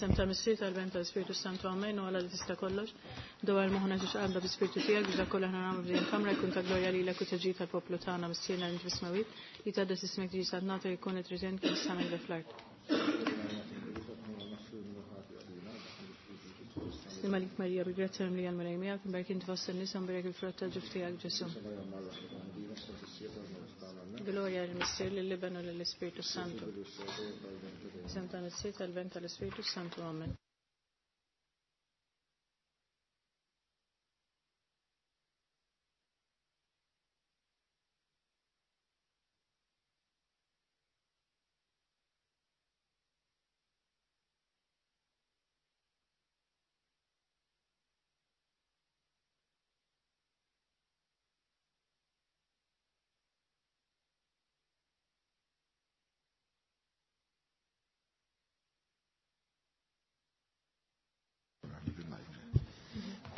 Sem ta' Missier tal-Ben tal-Spiritu Santu Amen u għala li tista' kollox. Dwar moħħna ġiex qalba bi-Spiritu tiegħek biex dak kollu aħna nagħmlu f'din il-kamra jkun ta' glorja lilek u taġġid tal-poplu tagħna Missierna li inti fis-smewwiet, li tgħaddas ismek tiġi saltnatek jkun li trid int kif is-sema fl-art. Slima lik Marija, bil-grazzja mimlija l-Mulej miegħek, imberk inti fost in-nisa mberek il-frott tal-ġuf tiegħek Ġesu. Gloria lill-Missier, lill-Iben u lill-Ispirtu Santu. Isem ta' Missier tal-Ben tal-Ispirtu Santu. Amen.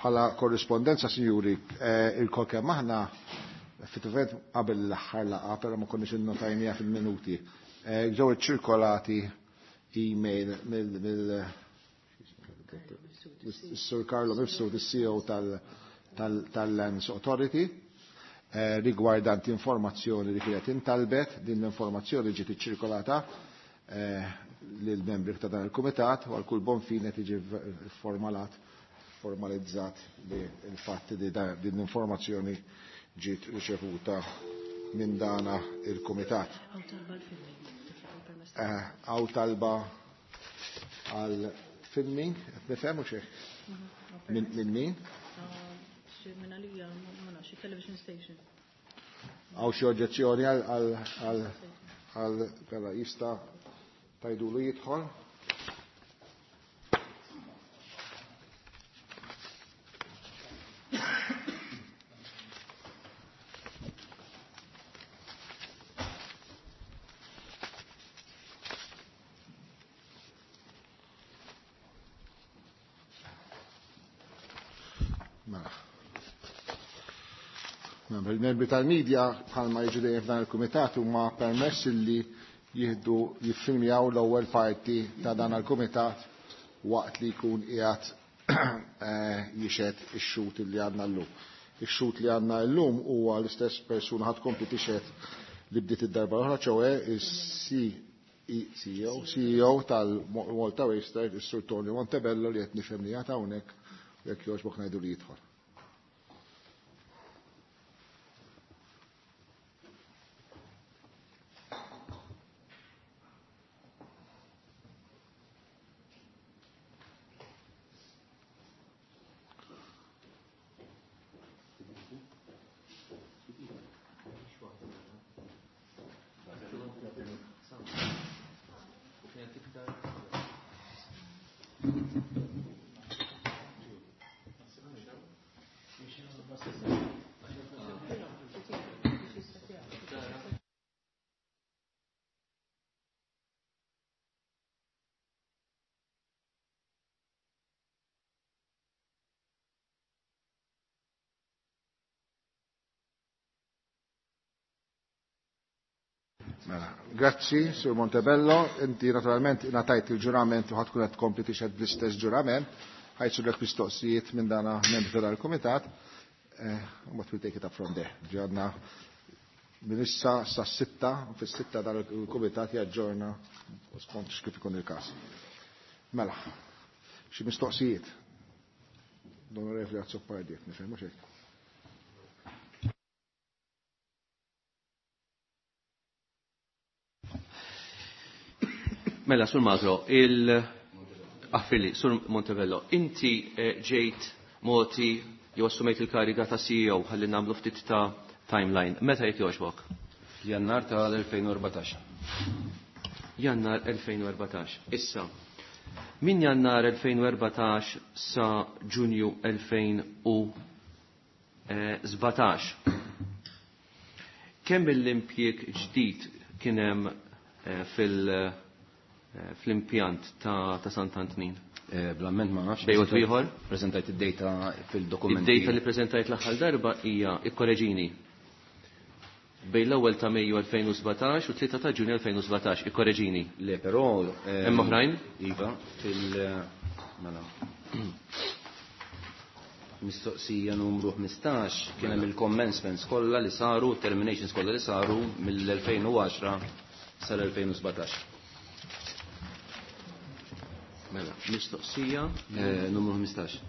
Bħala korrispondenza, sinjuri, eh, il-kol kemm aħna effettivament qabel l-aħħar laqgħa, però ma konniex innotajniha fil-minuti. Eh, ġew iċċirkolati email mill Sur Carlo Mifsud, il-CEO tal-Lands Authority, eh, rigwardanti informazzjoni li kienet intalbet, din l-informazzjoni ġiet iċċirkolata eh, lill-membri ta' dan il-kumitat u għal kull bon fine tiġi formalat formalizzat li il-fatt li din l-informazzjoni ġiet riċevuta minn dana il-kumitat. Għaw talba għal filming, nifhem u xejn. Minn min? Minn għalija, ma nafx, television station. Għaw xi oġġezzjoni għal għal għal jista' tajdulu jidħol? Mela. Il-membri tal-medja bħalma jiġu dejjem f'dan il-kumitat huma permess li jieħdu jiffilmjaw l-ewwel parti ta' dan il-kumitat waqt li jkun qiegħed eh, jixed ix-xut li għandna llum. Ix-xut li għandna llum huwa l-istess persuna ħadd kompli tixed li bdiet id-darba l-oħra ċowe is-CEO CEO tal-Malta Waster, is-Sur Tony Montebello li qed nifhem li qiegħed hawnhekk jekk jogħġbok ngħidu li jidħol. Mela, grazzi, Sur Montebello, inti naturalment natajt il-ġurament u ħatkun qed tkompli tixhed bl-istess ġurament, ħajsulek mistoqsijiet minn dana membri tal-kumitat, eh, u we'll take it up from there. Ġadna minn issa sa sitta, fis-sitta dan il-kumitat jaġġorna skont kif ikun il-każ. Mela, xi mistoqsijiet? L-Onorevoli Azzopardi, nifhem mhux hekk. Mela, Sur Magro, il... Affili, Sur Montebello, inti eh, ġejt moti jew assumejt il-kariga ta' CEO ħalli nagħmlu ftit ta' timeline. Meta jekk jogħġbok? Jannar tal-2014. Jannar 2014. Issa, min Jannar 2014 sa Ġunju 2017. Kemm l-impjieg ġdid kien hemm eh, fil- eh, fl-impjant ta', ta Sant'Antnin? Eh, Blamment ma nafx. Bejn ieħor? Preżentajt id-data fil-dokumenti. Id-data li preżentajt l-aħħar darba hija ikkoreġini. Bejn l-ewwel ta' Mejju 2017 u 3 ta' Ġunju 2017. Ikkoreġini. Le, però Hemm oħrajn? Iva, fil mela. Mistoqsija numru 15 kien hemm il-commencements kollha li saru, terminations kollha li saru mill-2010 sal-2017. Mela, mistoqsija Numru 15.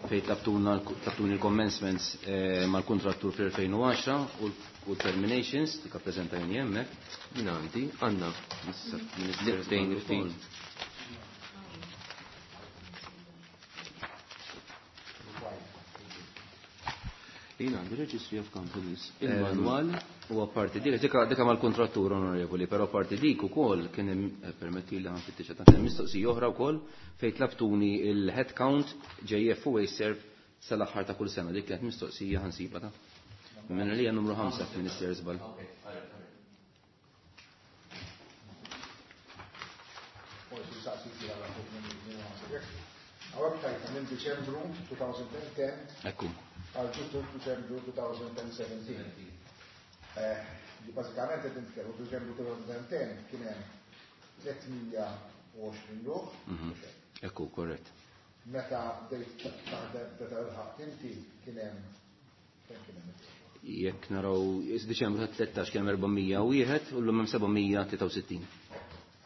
Fejn tlabtuni il-commencements mal-kontrattur fl-2010 u l-terminations li kappreżentajni hemmhekk. Min għandi, għandna Issa, Tejn ftit. Jien għandi Registry of Companies, il-manwal. U apparti dik, dika mal-kontrattur onorevoli, però apparti dik ukoll kien hemm, permetti li ħanfittex ta' kien hemm mistoqsija oħra wkoll fejn tlabtuni il-head count JF u Wasteserv sal-aħħar ta' kull sena. Dik kienet mistoqsija ħansiba ta'. Minn li hija numru 5 Minister Żball. Hawnhekk tajta minn Diċembru 2010 Ekku. għal ġustu Diċembru 2017. Bażikament qed nitkellmu Diċembru 2010 kien hemm 320 ruħ. Ekku, korrett. Meta bdejt taħdem meta lħaqt inti kien hemm kemm kien hemm? Jekk naraw Diċembru ta' 13 kien hemm 401 u llum hemm 763.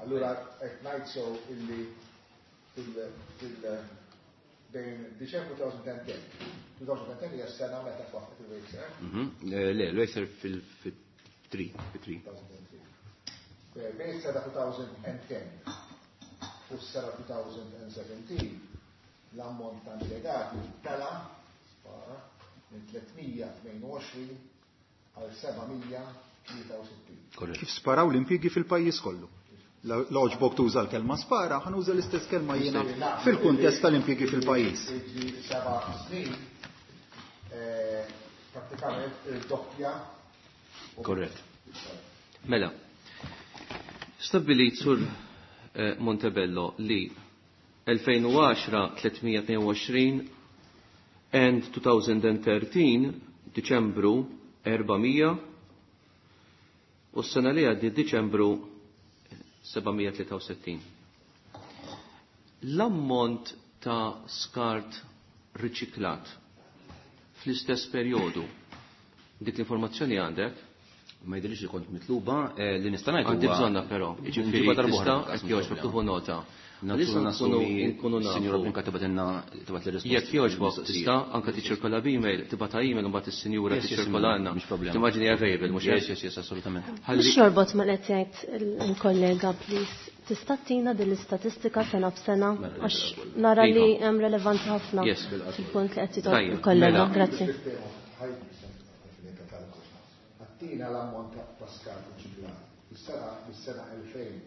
Allura qed ngħid so illi fil bejn Diċembru 2010. 2010 hija s-sena meta twaqqet il-Wasteserv. Le, l-Wasteserv fil-3, fil-3. 2003. Bejn s-sena 2010 u s-sena 2017 l-ammont ta' impjegati tela spara minn 322 għal 763. Korrett. Kif sparaw l-impjiegi fil-pajjiż kollu? L-oġbok tuża l-kelma spara, ħanuża l-istess kelma jiena fil-kuntest tal-impjiegi fil-pajjiż. 7 snin, pratikament il-doppja. Korrett. Mela, stabbilit sur Montebello li 2010 322 and 2013 Diċembru 400 u s-sena li għaddi Diċembru 763. L-ammont ta' skart riċiklat fl-istess perjodu, dik l-informazzjoni għandek? Ma jidhirx li kont mitluba, li nista' ngħid Għandi huwa bżonna però, jiġifieri Nġiba darba tista' oħra, jekk jogħġbok tieħu nota. Nagħtu Għalissa nassumi nkunu nafu. Sinjura Brinca tibgħatilna tibgħat li risposta. Jekk jogħġbok tista' anke tiċċirkola b'email, tibgħatha email u mbagħad is-sinjura Yes, yes, tiċċirkola għandna. mhux problema. Timmaġini available, mhux Yes, hekk? yes, yes, assolutament. Ħalli Biex jorbot ma qed jgħid il-kollega, please. Tista' tina din l-istatistika sena b'sena Mela, għax mela, nara li Iva. hemm relevanza ħafna Yes, bil-qasma. fil-punt li qed jitolb Tajjeb, il-kollega. mela. Grazzi. Għattina l-ammont ta' skart riċiklat. Is-sena 2010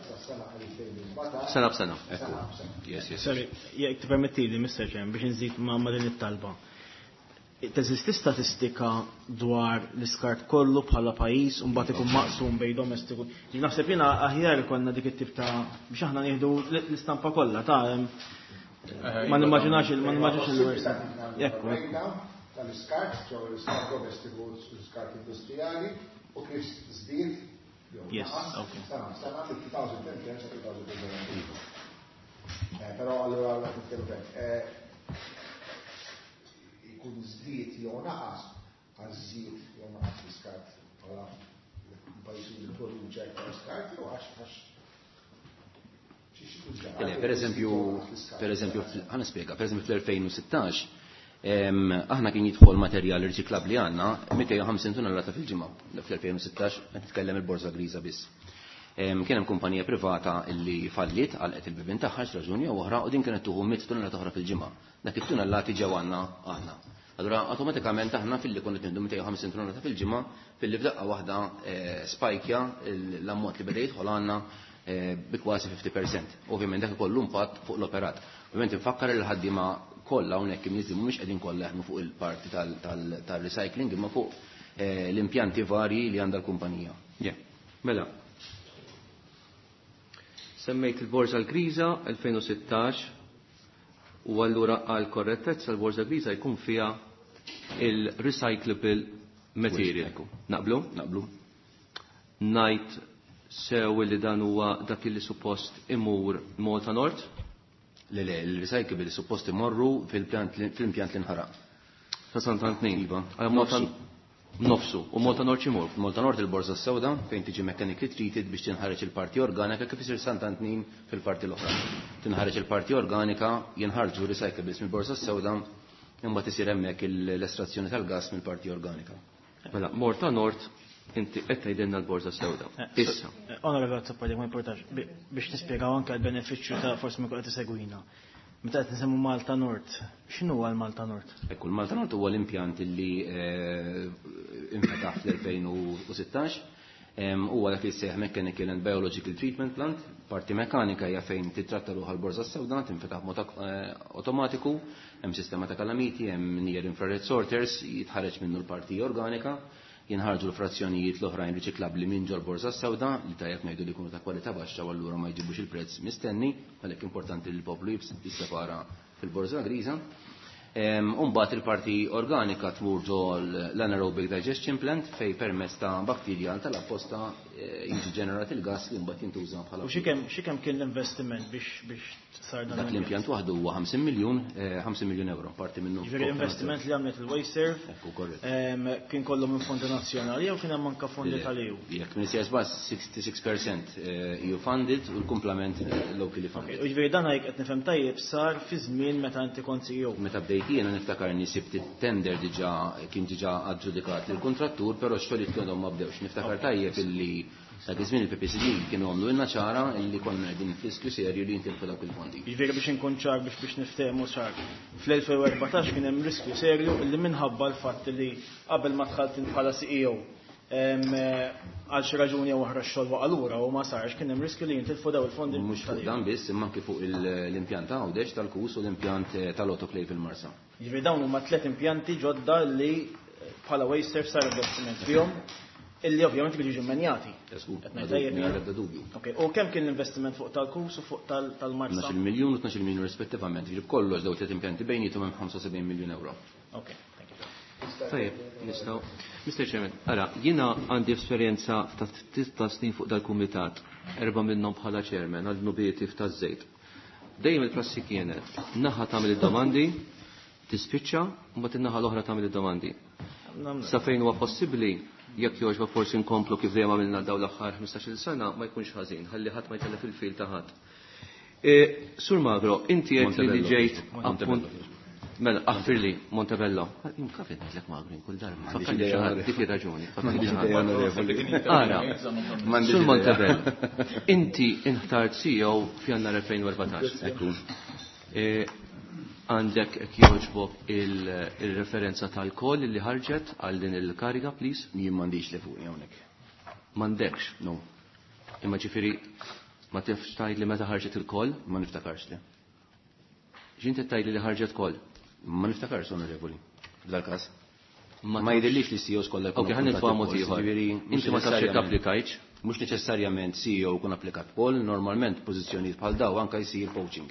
sa sena 2017. Sena b'sena. Sena b'sena. Yes, yes. Sorry, jekk tippermettili, Mr. Chairman, biex nżid ma' din it-talba. Teżisti statistika dwar l-iskart kollu bħala pajjiż u mbagħad ikun maqsum bejn domestiku. Ġi naħseb jiena aħjar ikollna dik it-tip ta' biex aħna nieħdu l-istampa kollha ta' ma nimmaġinax il- ma nimmaġinax il-worst. Ekku, ekku. Tal-iskart, ġew l-iskart domestiku u l-iskart industrijali u kif żdied jew Yes, naqas okay. sena sena fil-2010 sa 2017. Però allura għalla nitkellmu hekk. Ikun żdied jew naqas, għax żied jew naqas l-iskart bħala pajjiż li jipproduċi aktar skart jew għax Le, per eżempju, per eżempju, ħa nispjega, per eżempju fl-2016, aħna kien jidħol materjal riċiklabbli għandna 250 tonnellata fil-ġimgħa. Fl-2016 qed nitkellem il-borża griża biss. Kien hemm kumpanija privata li fallit għalqet il-bibien tagħha xi raġuni jew oħra u din kienet tuħu 100 tonnellata oħra fil-ġimgħa. Dak it-tonnellati ġew għandna aħna. Allura awtomatikament aħna filli konna qed nieħdu 250 tonnellata fil-ġimgħa, filli f'daqqa waħda spajkja l-ammont li beda jidħol għandna bi kważi 50%. Ovvjament dak ikollu impatt fuq l-operat. Ovvjament infakkar li l-ħaddiema kollha hawnhekk imniżli mhumiex qegħdin kollha jaħdmu fuq il-parti tal-recycling imma fuq l-impjanti varji li għandha l-kumpanija. Yeah. Mela. Semmejt il-Borża l-Griża 2016 u allura għal korrettezza l-Borża Griża jkun fiha il-recyclable Material. Ekku. Naqblu? Naqblu. Ngħid sew li dan huwa dak li suppost imur Malta Nord? Le, le, il-recyclable suppost imorru fil-pjant fl-impjant li nħaraq. Ta' Sant'Antnin. Iva. Għal Malta Nofsu. U Malta Nord x'imur? Malta Nord il-borza sewda fejn tiġi mechanically treated biex tinħareġ il-parti organika kif isir Sant'Antnin fil-parti l-oħra. Tinħareġ il-parti organika, jinħarġu recyclables mill-borza sewda, imbagħad isir hemmhekk l-estrazzjoni tal-gas mill-parti organika. Mela, Malta Nord inti qed tgħidilna l-borza sewda. Issa. Onorevole Azzopardi, ma importax, biex nispjegaw anke l-benefiċċju ta' forsi ma qed isegwina. Meta qed nisemmu Malta Nord, x'inhu huwa l-Malta Nord? Ekku, l-Malta Nord huwa l-impjant li infetaħ fl-2016. Huwa dak li jsejjaħ Mechanical and Biological Treatment Plant. Parti mekanika hija fejn titratta ruħha l-borza sewda, tinfetaħ b'mod automatiku, hemm sistema ta' kalamiti, hemm near infrared sorters, jitħareġ minnu l-parti organika, jinħarġu l-frazzjonijiet l-oħrajn riċiklabbli minn ġol borza sewda li tajjeb ngħidu li jkunu ta' kwalità baxxa u allura ma jġibux il-prezz mistenni, għalhekk importanti li l-poplu jissepara fil-borza griża. Umbagħad il-parti organika tmur ġo l-anaerobic digestion plant fej permezz ta' bakterja tal-apposta jiġi ġenerat il-gas li mbagħad jintuża bħala. U xi kemm kien l-investiment biex sar dan Dak l-impjant waħdu huwa 50 miljun, 50 miljun euro, parti minnu. Ġifieri investiment li għamlet il-WasteServ Ekku, korrett. Kien kollu minn fondi nazzjonali jew kien hemm anke fondi tal-EU? Jekk minn bass 66% EU funded u l-kumplament locally funded. U ġifieri dan jekk qed nifhem tajjeb sar fi żmien meta inti kont CEO. Meta bdejt jiena niftakar ni sibt it-tender diġà kien diġà aġġudikat lill-kontrattur, però x-xogħlijiet kienu ma bdewx. Niftakar tajjeb illi dak iż-żmien il-PPCD kienu għamlu ilna ċara illi konna qegħdin f'riskju serju li jintilfu dawk il-fondi. Ġifieri biex inkun ċar biex niftehmu ċar. Fl-2014 kien hemm riskju serju illi minħabba l-fatt li qabel ma dħalt int bħala CEO għal xi raġuni jew oħra x-xogħol waqa' lura u ma sarx, kien hemm riskju li jintilfu daw il-fondi. Mhux fuq tal-EU. dan biss, imma anke fuq l-impjant ta' Għawdex tal-Kus u l-impjant tal-autoclave fil-Marsa. Ġifieri dawn huma tliet impjanti ġodda li bħala WasteServ sar investiment fihom illi ovvjament jiġu jiġu mmenjati. Żgur, Qed ngħid tajjeb mingħajr jien? ebda dubju. Ok, u kemm kien l-investiment fuq tal-Kus u fuq tal-Marsa? 12 miljun u 12 miljun rispettivament. Ġifieri b'kollox daw tliet impjanti bejniethom hemm 75 miljun euro. Ok, thank you. Tajjeb, nistgħu. Mr. Chairman, ara, jiena għandi esperjenza ta' ftit ta' snin fuq dal-kumitat, 4 minnhom bħala chairman għal nubieti f'taż-żejt. Dejjem il-prassi kienet, naħa tagħmel id-domandi, tispiċċa, u mbagħad in-naħa l-oħra tagħmel id-domandi. Sa fejn huwa possibbli, jekk jogħġba forsi nkomplu kif dejjem għamilna dawn l-aħħar 15-il sena, ma jkunx ħażin, ħalli ħadd ma jtellef il-fil ta' ħadd. Sur Magro, inti qed li Montebello. ġejt Montebello. appunt Mela, aħfirli, Montebello. Kif ngħidlek Magro kull darba. M'għandix Fakkarni idea, xi ħadd, onorevoli. dik ir-raġuni. Fakkarni M'għandix xi ħadd. idea, onorevoli. Ara, M'għandix Sur idea. Montebello, inti inħtart CEO f'Jannar 2014. Ekku. Għandek jekk jogħġbok il-referenza tal-call li ħarġet għal din il-kariga, please? Jien m'għandix li fuq hawnhekk. M'għandekx. No, Imma ġifieri ma tifx tgħid li meta ħarġet il-call? Ma niftakarx li. Ġinti tgħid li ħarġet call? Ma niftakarx, onorevoli. F'dal-każ. Ma Ma jidhirlix li CEOs kollha jkunu Ok, ħa nitfa' mod appuntati ieħor. b'calls, ġifieri mhux Inti ma tafx jekk neċessarjament- applikajtx? Mhux neċessarjament CEO kun applikat call, normalment pożizzjonijiet bħal daw anke jsir poaching.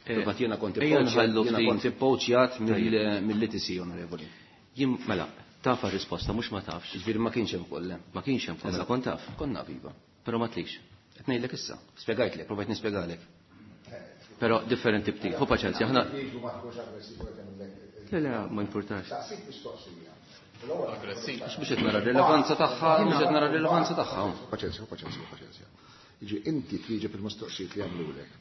Fil-fatt jiena kont Ejja nħallu jiena ftit. kont poachjat mill-ITC, onorevoli. Jien mela, taf risposta mhux ma tafx. Ġifieri ma kienx hemm call, le. Ma kienx hemm call, mela kont taf. Konna viva. Però ma tlix. Qed ngħidlek issa, spjegajtlek, provajt nispjegalek. Però differenti ftit. Ħu paċenzja, aħna Le, le, ma importax. Saqsik mistoqsija. Għax mhux qed nara rilevanza tagħha, mhux qed nara rilevanza tagħha. Paċenzja, paċenzja, paċenzja. Jiġi inti twieġeb il-mistoqsijiet li għamlulek.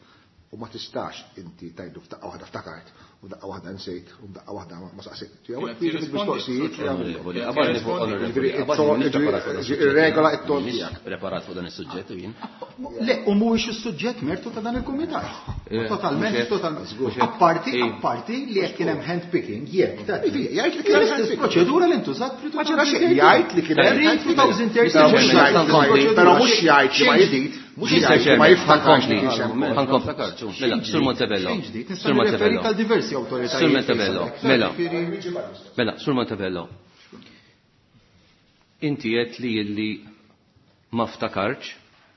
U ma tistax inti tajdu f'daqqa waħda ftakart, u daqqa waħda nsejt, u daqqa waħda ma saqsejt. Kienet Twieġeb il-mistoqsijiet li għamlulek. Onorevoli, qabadni fuq onorevoli, Ġifieri, qabadni m'iniex preparat fuq dan ġifieri, is-suġġett. ir-regola it-ton M'iniex tiegħek. Preparat fuq dan is-suġġett u jien. Le, u mhuwiex is-suġġett mertu ta' dan il-kumitat. Totalment, mhux hekk, totalment. mhux hekk. Apparti, apparti li jekk kien hemm handpicking, jekk ta' Jgħid li kien hemm l-istess handpicking. proċedura li ntużat Ma ġara xejn, jgħid li kien hemm handpicking. 2013 Però mhux jgħid li- Però mhux jgħid li ma Xejn ġdid. mhux jgħid li ma jiftakarx li kienx hemm. Ħa nkompli. Mela, Sur Montebello. Xejn ġdid, nista' Sur nirreferik Montebello. għal diversi awtoritajiet. Sur Montebello, mela. Ġifieri- Mela, Sur Montebello. Inti qed li illi ma ftakarx,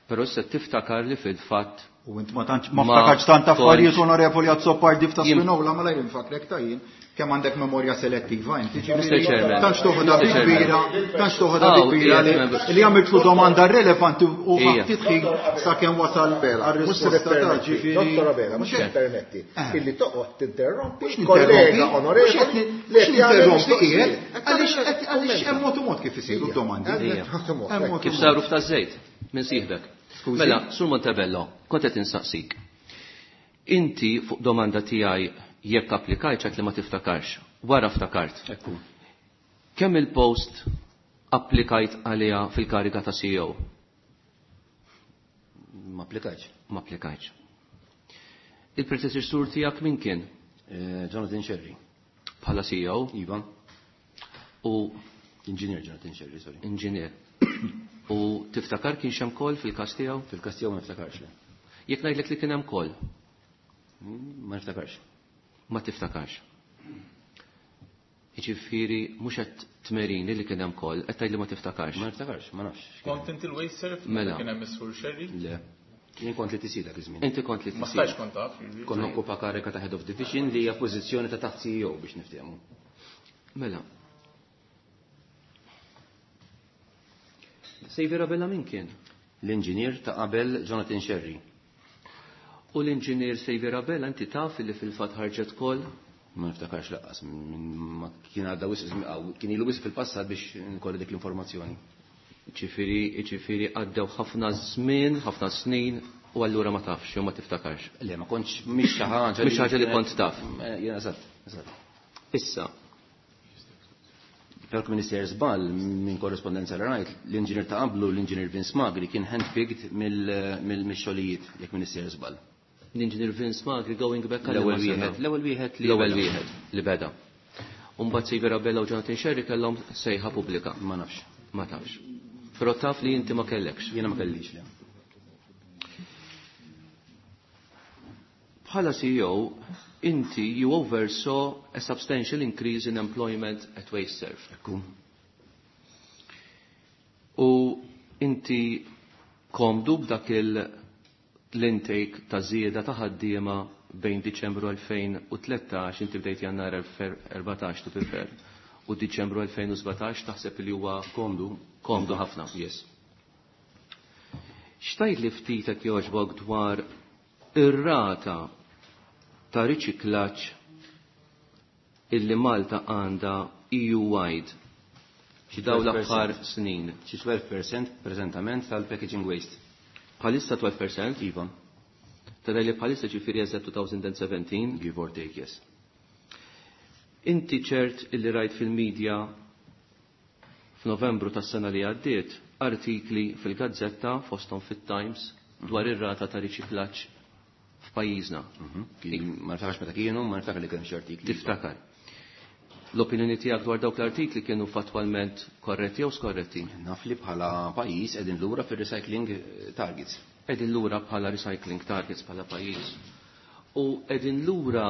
però issa tiftakar li fil-fatt U int ma tantx ma ftakarx tant affarijiet onorevoli Azzopardi f'ta' Spinola ma lajr infakrek ta' jien kemm għandek memorja selettiva inti ġifieri tantx toħodha bi kbira, tantx toħodha bi kbira li għamiltlu domanda relevanti u ftit ħin sakemm wasal għar-risposta ta' ġifieri. Dottor Abela, mhux qed permetti illi toqgħod tinterrompi kollega onorevoli li qed interrompi qiegħed għaliex għaliex hemm mod u mod kif isiru d-domandi. Kif saru f'ta' żejt minn sieħbek. Mela, Sur Montebello, kont qed insaqsik. Inti fuq domanda tiegħi jekk applikajt ċert li ma tiftakarx. Wara ftakart. Ekku. Kemm il-post applikajt għaliha fil-kariga ta' CEO? Ma applikajtx. Ma applikajtx. Il-predeċessur tiegħek min kien? Jonathan Scerri. Bħala CEO? Iva. U Inġinier Jonathan Scerri, sorry. Inġinier. U tiftakar kien hemm call fil-każ tiegħu? Fil-każ tiegħu ma niftakarx le. Jekk ngħidlek li kien hemm call? Ma niftakarx. Ma tiftakarx. Jiġifieri mhux qed tmerini li kien hemm call, qed tgħid li ma tiftakarx. Ma niftakarx, ma nafx. Kont inti l-WasteServ? Mela. Kien hemm is-Sur Scerri? Le. Jien kont li TC dak iż-żmien. Inti kont li Ma TC. stajtx kont taf, jiġifieri. Kont nokkupa karika ta' Head of Division li hija pożizzjoni ta' taħt CEO biex niftehmu. Mela. Xavier Abela min kien? L-inġinier ta' qabel Jonathan Scerri. U l-inġinier Xavier Abela inti taf li fil-fatt ħarġet call? Ma niftakarx laqqas, ma kien għadda wisq żmien, aw, kien ilu wisq fil-passat biex nkolli dik l-informazzjoni. Ġifieri għaddew ħafna żmien, ħafna snin, u allura ma tafx, jew ma tiftakarx. Le, ma kontx, mhix xi ħaġa Mhix ħaġa li kont taf. Jien eżatt, eżatt. Issa. Però kien sejjer żball minn korrespondenza li rajt, l-inġinier ta' qablu, l-inġinier Vince Magri, kien handpicked mill-xogħlijiet, jekk minn sejjer żball. L-inġinier Vince Magri going back għal L-ewwel liema sena? wieħed, l-ewwel wieħed li L-ewwel beda. wieħed li beda. U mbagħad Xavier Abela u Jonathan Scerri kellhom sejħa pubblika. Ma nafx. Ma tafx. Però taf li inti ma kellekx. Jiena ma kellix, le. Bħala CEO, inti you oversaw a substantial increase in employment at WasteServ. Ekku. U inti komdu b'dak l-intake ta' żieda ta' ħaddiema bejn Diċembru 2013, inti bdejt Jannar 14 to prefer, u Diċembru 2017 taħseb li huwa komdu. Komdu ħafna. Yes. Xtajt li ftitek jogħġbok dwar ir-rata ta' riċiklaġġ illi Malta għandha EU-wide Xi daw l-aħħar 12%. snin. Xi 12% preżentament tal-packaging waste. Bħalissa 12%? Iva. Ta' li bħalissa ġifieri eżatt 2017? Give or take, yes. Inti ċert illi rajt fil-medja f'Novembru tas-sena li għaddiet artikli fil-Gazzetta fosthom fit-Times dwar ir-rata ta' riċiklaġġ f'pajjiżna. Ma niftakarx meta kienu, ma niftakar li kien xi artikli. Tiftakar. L-opinjoni tiegħek dwar dawk l-artikli kienu fattwalment korretti jew skorretti? Naf li bħala pajjiż qegħdin lura fir-recycling targets. Qegħdin lura bħala recycling targets bħala pajjiż. U qegħdin lura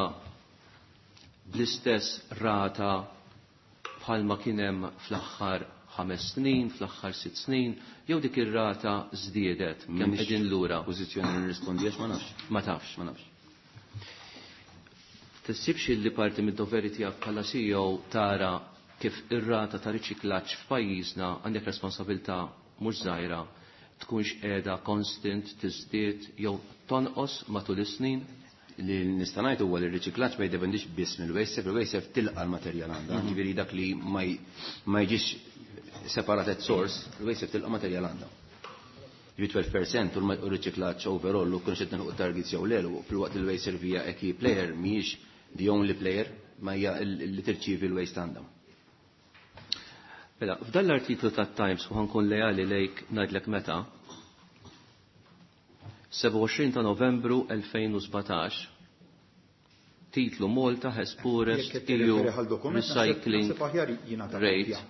bl-istess rata bħalma kien hemm fl-aħħar 5 snin, fl-aħħar 6 snin, jew dik ir-rata żdiedet kemm M'iniex qegħdin lura. Pożizzjoni li nirrispondi għax ma nafx. Ma tafx. Ma nafx. Tissibx li parti mid-doveri tiegħek bħala CEO tara kif ir-rata ta' riċiklaġġ f'pajjiżna għandek responsabilità mhux żgħira tkunx qiegħda constant tiżdied jew tonqos matul is-snin? Li nista' ngħid huwa li r-riċiklaġġ ma jiddependix biss mill-WasteServ, il-WasteServ tilqa' l-materjal għandha, ġifieri dak li ma jiġix separat at source, il-WasteServ tilqa' materjal għandha. Ġifieri 12% u r-riċiklaġġ overall u kienx qed nilħuq targets jew le, u filwaqt li l-WasteServ hija a key player mhijiex the only player, ma hija li tirċievi l-waste għandha. Mela, f'dan l-artiklu tat-Times u ħankun leali lejk ngħidlek meta, 27 ta' Novembru 2017, titlu Malta has poorest Jekk qed EU tirreferi għal dokument, recycling naħseb aħjar jingħata rate. kopja.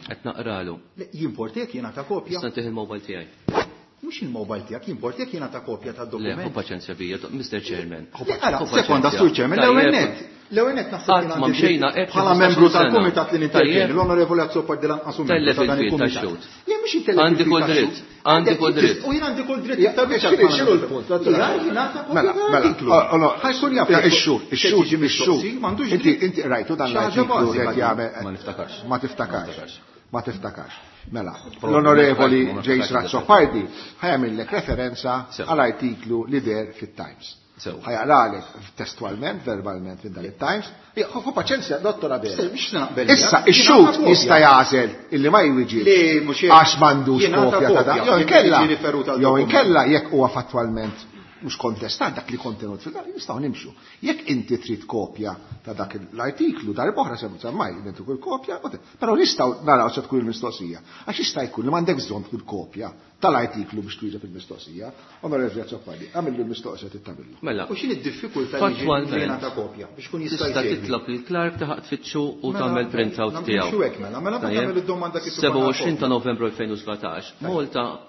Qed naqralu. Le, jimportek jingħata kopja. Nista' ntih il-mobile tiegħi. Mhux il-mobile tiegħek, jimportek jingħata kopja tad-dokument. Le, ħu paċenzja bija, Mr. Chairman. Le, ara, Ħu sekonda, paċenzja. Sur Chairman, l-ewwel Tajjeb. nett. L-ewwel qed naħseb Qatt ma mxejna hekk bħala 15-il membru sena. tal-kumitat li nintervjeni, Tajjeb. l-Onorevoli Azzopardi lanqas hu membru Tellef ta' dan il-fil il-kumitat. tax-xhud. Le mhux intellef Għandi il-fil kull tax-xhud. dritt, għandi kull dritt. U jien għandi kull dritt Ja, iktar biex x'inhu- x'inhu l-punt? Jien jingħata kopja Mela, mela, tal-artiklu. Ħajkun jaf Ja, jekk ix-xhur, se ix-xhur, tiġi ix-xhur. mistoqsi, m'għandux Inti dritt. inti rajtu dan Xi ħaġa l-artiklu li bażika qed din. jagħmel. Ma niftakarx. Ma tiftakarx. Ma tiftakarx. Mela, Probabli l-Onorevoli ma niftakarx, ma James niftakarx. Razzopardi ħajamillek referenza Sew. għal artiklu li der fit-Times. Sew. Ħajaqralek testualment, verbalment minn dan it-Times. Ħu paċenzja, dottor Abela. Se, mhux se naqbel Issa, miegħek. ix-xhud Jingħata kopja. jista' jagħżel illi ma jwiġibx Le, mhux hekk. għax m'għandux Jingħata kopja ta' dan. kopja, Jew jekk inkella, jiġi riferut għal jew dokument. inkella jekk huwa fattwalment mhux kontestat dak li kontenut fil nistgħu nimxu. Jekk inti trid kopja ta' dak l-artiklu darb'oħra se semmaj inti kull kopja, però nistgħu naraw se tkun il-mistoqsija. Għax jista' jkun li m'għandek bżonn tkun kopja tal-artiklu biex twieġeb il-mistoqsija. Onorevoli Azzopardi, għamillu l-mistoqsija tittamillu. Mela, U x'inhi d-diffikultà li jiġi Fattwalment. jingħata kopja biex kun jista' tista' jsegwi. titlob lil Clark taħaq tfittxu u Mela, tagħmel printout nagħmlu tiegħu. xu hekk mela, mela Tajjeb? tagħmel id-domanda kif ikollna 27 ta' kopja. Novembru 2017, Malta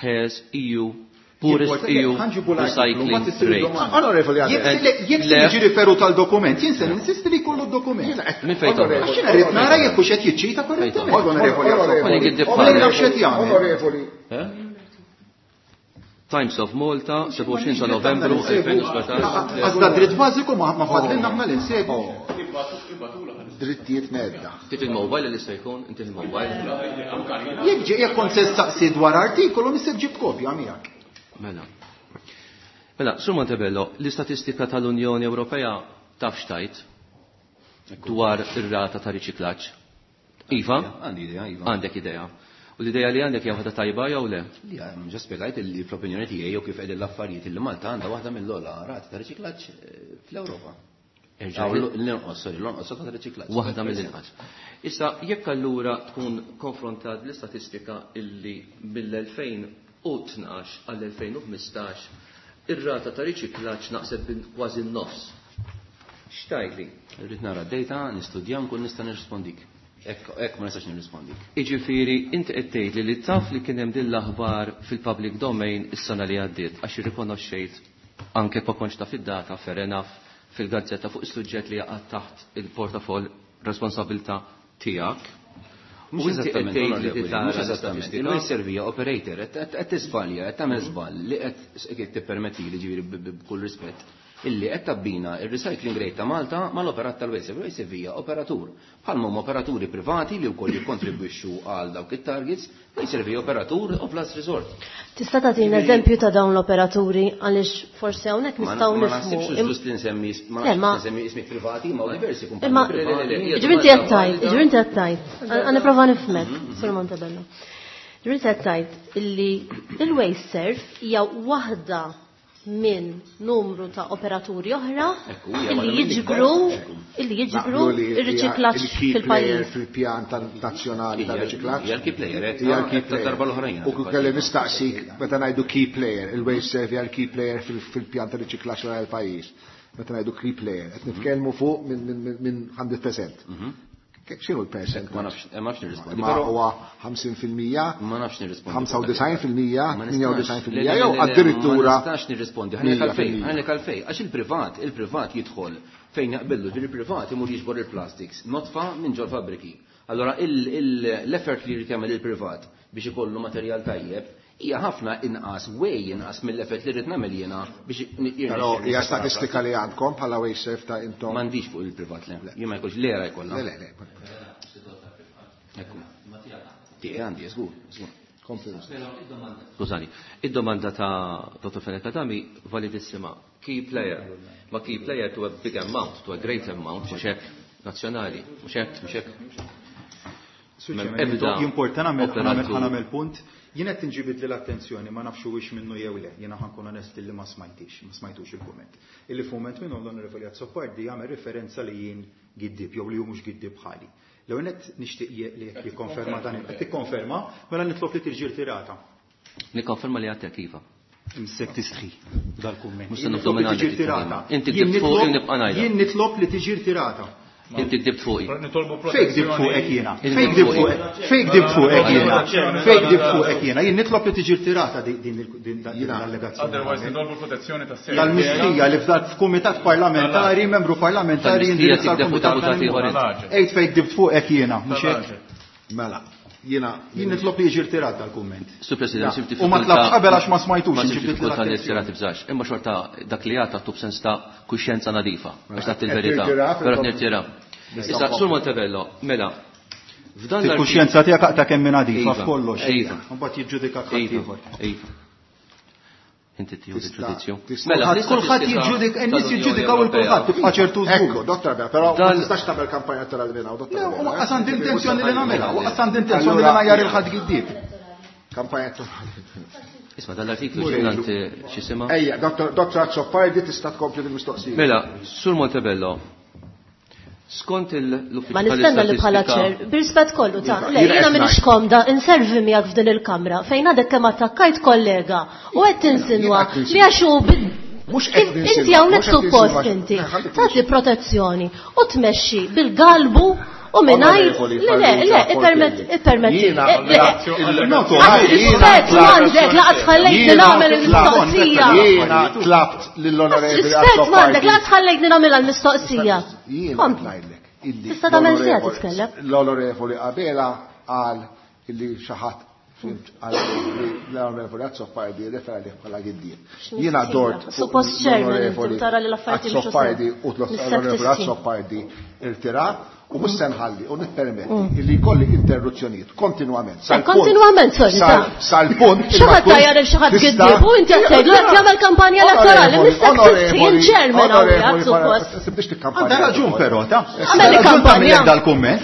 has EU poorest Jimporta- EU ħanġibu l-artiklu, recycling mbagħad issir rate. id-domanda. Onorevoli Jekk Abela. se- Jekk se Le. jiġi riferut għal dokument, jien se ninsisti li jkollu d-dokument. Min fejn toħroġ? Għax jiena rrid nara jekk hux qed jiċċita korrettament, onorevoli Onorevoli, Azzopardi. Ma nafx qed jagħmel. Onorevoli, Eh? Times of Malta, 27 ta' Novembru 2017. Għax da dritt bażiku ma ma fadlilna aħna li nsegwu. drittijiet medda. Tit il-mobile li se jkun, inti il-mobile. Jekk ġi jekk kont se staqsi dwar artikolu nista' ġib kopja miegħek. Mela. Mela, Sur Montebello, l-istatistika tal-Unjoni Ewropea taf xtajt dwar ir-rata ta' riċiklaġġ. Iva, Għandi idea, Iva. għandek idea. U l-idea li għandek hija waħda tajba jew le? Li għam, ġa spjegajt li fl-opinjoni tiegħi jew kif qegħdin l-affarijiet illi Malta għandha waħda mill-ogħla rati ta' riċiklaġġ fl-Ewropa. Erġa' Aw, L-inqos, sorry, l-inqos ta' riċiklaġġ. Waħda mill-inqas. Issa, jekk allura tkun konfrontat l-istatistika illi mill-2012 għall-2015 ir-rata ta' riċiklaġġ naqset bin kważi n-nofs. X'tajli? Irrid nara d-data, nistudja nkun nista' nirrispondik. Hekk hekk ma nistax nirrispondik. Iġifieri, inti qed tgħidli li taf li kien hemm din l-aħbar fil-public domain is-sena li għaddiet għax irrikonoxxejt anke ma kontx taf id-data fair enough fil-gazzetta fuq is-suġġett li jaqa' taħt il-portafoll responsabilità tiegħek. U Mhux inti qed eżattament, tgħid li onorevoli, tara mhux eżattament. l-istatistika. Il-Waste Servia operator qed qed tiżbalja, qed tagħmel żball li qed jekk tippermettili ġifieri b'kull rispett illi qed tabbina ir-recycling rate ta' Malta mal-operat tal-Waste Servia. Waste Servia operatur. Bħalma huma operaturi privati li wkoll jikkontribwixxu għal dawk it-targets, Waste Servia operatur of last resort. Tista' tagħtina eżempju ta' dawn l-operaturi għaliex forsi hawnhekk Ma nistgħu ma naħsibx nifhmu. ġust li nsemmi ma Le, ma- naħsibx nsemmi ismi privati, ma diversi Imma kumpaniji privati. ġifieri inti qed tgħid, ġifieri inti qed tgħid. Għa nipprova nifhmek, Sur Montebello. Ġifieri inti qed tgħid illi il-Waste Serv hija waħda minn numru ta' operaturi oħra Ekku, hija illi waħda minn jiġbru l-ikbar. illi jiġbru Naqblu li hija ir-riċiklaġġ il-key player fil-pajjiż. fil-pjan nazzjonali tal-riċiklaġġ. Hija l-key player, eh, Hija l-key ta' darba l-oħrajn. U kif kelli nistaqsik meta ngħidu key player, il-Waste Serv hija l-key player fil-pjan tal-riċiklaġġ tal-pajjiż. Meta ngħidu key player, qed nitkellmu fuq minn 100%. X'inhu l-percent? Ma nafx, ma nafx nirrispondi. Ma però huwa 50%, Ma nafx nirrispondi. 95%, Ma nistax. 98% Le, le, jew le, le, addirittura Ma nistax nirrispondi. Ħalli għalfejn, 100%. ħalli għalfejn. Għax il-privat, il-privat jidħol fejn jaqbillu, ġifieri il-privat imur jiġbor il-plastics, notfa minn ġol fabbriki. Allora l-effort li jrid jagħmel il-privat biex ikollu materjal tajjeb hija ħafna inqas, way inqas mill-effort li rrid nagħmel jiena biex Però hija statistika li għandkom bħala Waste Serv ta' intom. M'għandix fuq il-privat le. Jien ma jkollx l-era jkollha. Le, le, le. Ekku. Tiegħi għandi, żgur, żgur. Kompli. Skużani, id-domanda ta' Dr. Fenech Adami validissima. Key player. Ma key player to a big amount, to a great amount, mhux hekk nazzjonali, mhux hekk, mhux hekk. Mem ebda Jimporta nagħmel operatur. nagħmel punt. Jien qed tinġibid l-attenzjoni ma nafx huwiex minnu jew le, jiena ħankun onest li ma smajtix, ma smajtux il-kumment. Illi f'mument minnhom l-Onorevoli Azzopardi jagħmel referenza li jien giddib jew li hu mhux giddib bħali. L-ewwel nett nixtieq li jekk jikkonferma dan qed tikkonferma, mela nitlob li tiġi rtirata. Nikkonferma li għadtek iva. Imsek tistħi dal-kumment. Mhux se Jien nibdew nitlob li minn tiġi għandek rtirata. Inti Jien ktibt fuq, nitlob- jien nibqa' ngħidha. Jien nitlob li tiġi rtirata. Inti kdibt fuqi. Nitolbu Fejn kdibt protezzjoni. fuqek jiena? Fejn kdibt fuqek? Fejn kdibt fuqek jiena? Fejn kdibt fuqek jiena? Jien nitlob li tiġi rtirata din din Otherwise l-allegazzjoni. nitolbu protezzjoni tas Tal-mistija li f'dak f'kumitat parlamentari, membru parlamentari Tal-mistija jindirizza tikdeb l-kumitat deputat ieħor tal-imma. Ejt fejn kdibt fuqek jiena, mhux hekk? Mela, jiena Jien nitlob li jiġi rtirat dal-kumment. Sur President, sibt U ma tlabx qabel għax ma smajtux, Ma sibt inġibdit diffikultà li l-attenzjoni. tirati tibżax. Imma xorta dak li għata tub sens ta' kuxjenza nadifa. Għax tat Qed il-verità. tirtira, Però nirtira. Issa, Sur Montebello, mela, f'dan l-artiklu. Il-kuxjenza tiegħek aqta kemm minn nadifa Iva, f'kollox. iva. Mbagħad jiġġudika ħadd Iva, ieħor. iva. Inti tieħu Tista' il-ġudizzju. tista' Mela, Kulħadd kulħadd l-istatistika jiġġudika, in-nies tal-Unjoni jiġġudikaw il Ewropea. kulħadd tibqa' ċertu Ekku, żgur. Dottor Abela, però ma Dan- tistax tagħmel kampanja elettorali minn hawn, Dottor Le, u Abela. waqqas għandi intenzjoni li nagħmilha, waqqas għandi intenzjoni li Allura- ngħajjar il-ħadd giddieb. Kampanja elettorali. Isma' dan l-artiklu ġurnant x'isima? Ejja, Dottor Dottor Azzopardi tista' tkompli bil-mistoqsija. Mela, Sur Montebello, skont l-Uffiċċju Ma nistenna li bħala tal-Istatistika ċer, bir-rispett kollu ta' Iva, le, jiena jiena qed minix ngħid. komda inservi miegħek f'din il-kamra fejn għadek kemm attakkajt kollega u qed tinsinwa Jiena qed li għax hu Mhux qed kif ninsinwa, inti hawnhekk mhux qed suppost ninsinwa. inti Ħalli tagħti protezzjoni u tmexxi bil-galbu u mingħajr Onorevoli le le le Farrugia ippermett Portelli. ippermetti Jiena le Noto, rispett m'għandek laqas ħallejtni nagħmel il-mistoqsija. Jiena tlabt lill-onorevoli Rispett m'għandek Azzopardi. laqas ħallejtni nagħmilha l-mistoqsija. Jiena Kompli. ngħidlek illi Tista' tagħmel siegħa l-onorevoli- titkellem. L-onorevoli Abela qal illi xi ħadd fimt qal li l-onorevoli Azzopardi refera li bħala giddieb. Jiena X'mistoqsija? dort fuq Suppost chairman l-onorevoli inti tara li l-affarijiet jimxu sew. Azzopardi u l-onorevoli Mis-sektist. Azzopardi irtira u mhux se nħalli u nippermetti illi jkolli interruzzjonijiet kontinwament. Sal-punt- Kontinwament, sorry, sal- ta' Sal-punt. Xi ħadd tajjar il xi ħadd giddieb u inti qed tgħidlu qed jagħmel kampanja elettorali, mis-sektist jien chairman hawnhekk suppost. Tibdix tikkampanja. Għandha raġun però, ta' Għamel li Raġun ta' kampanja. min dal-kumment.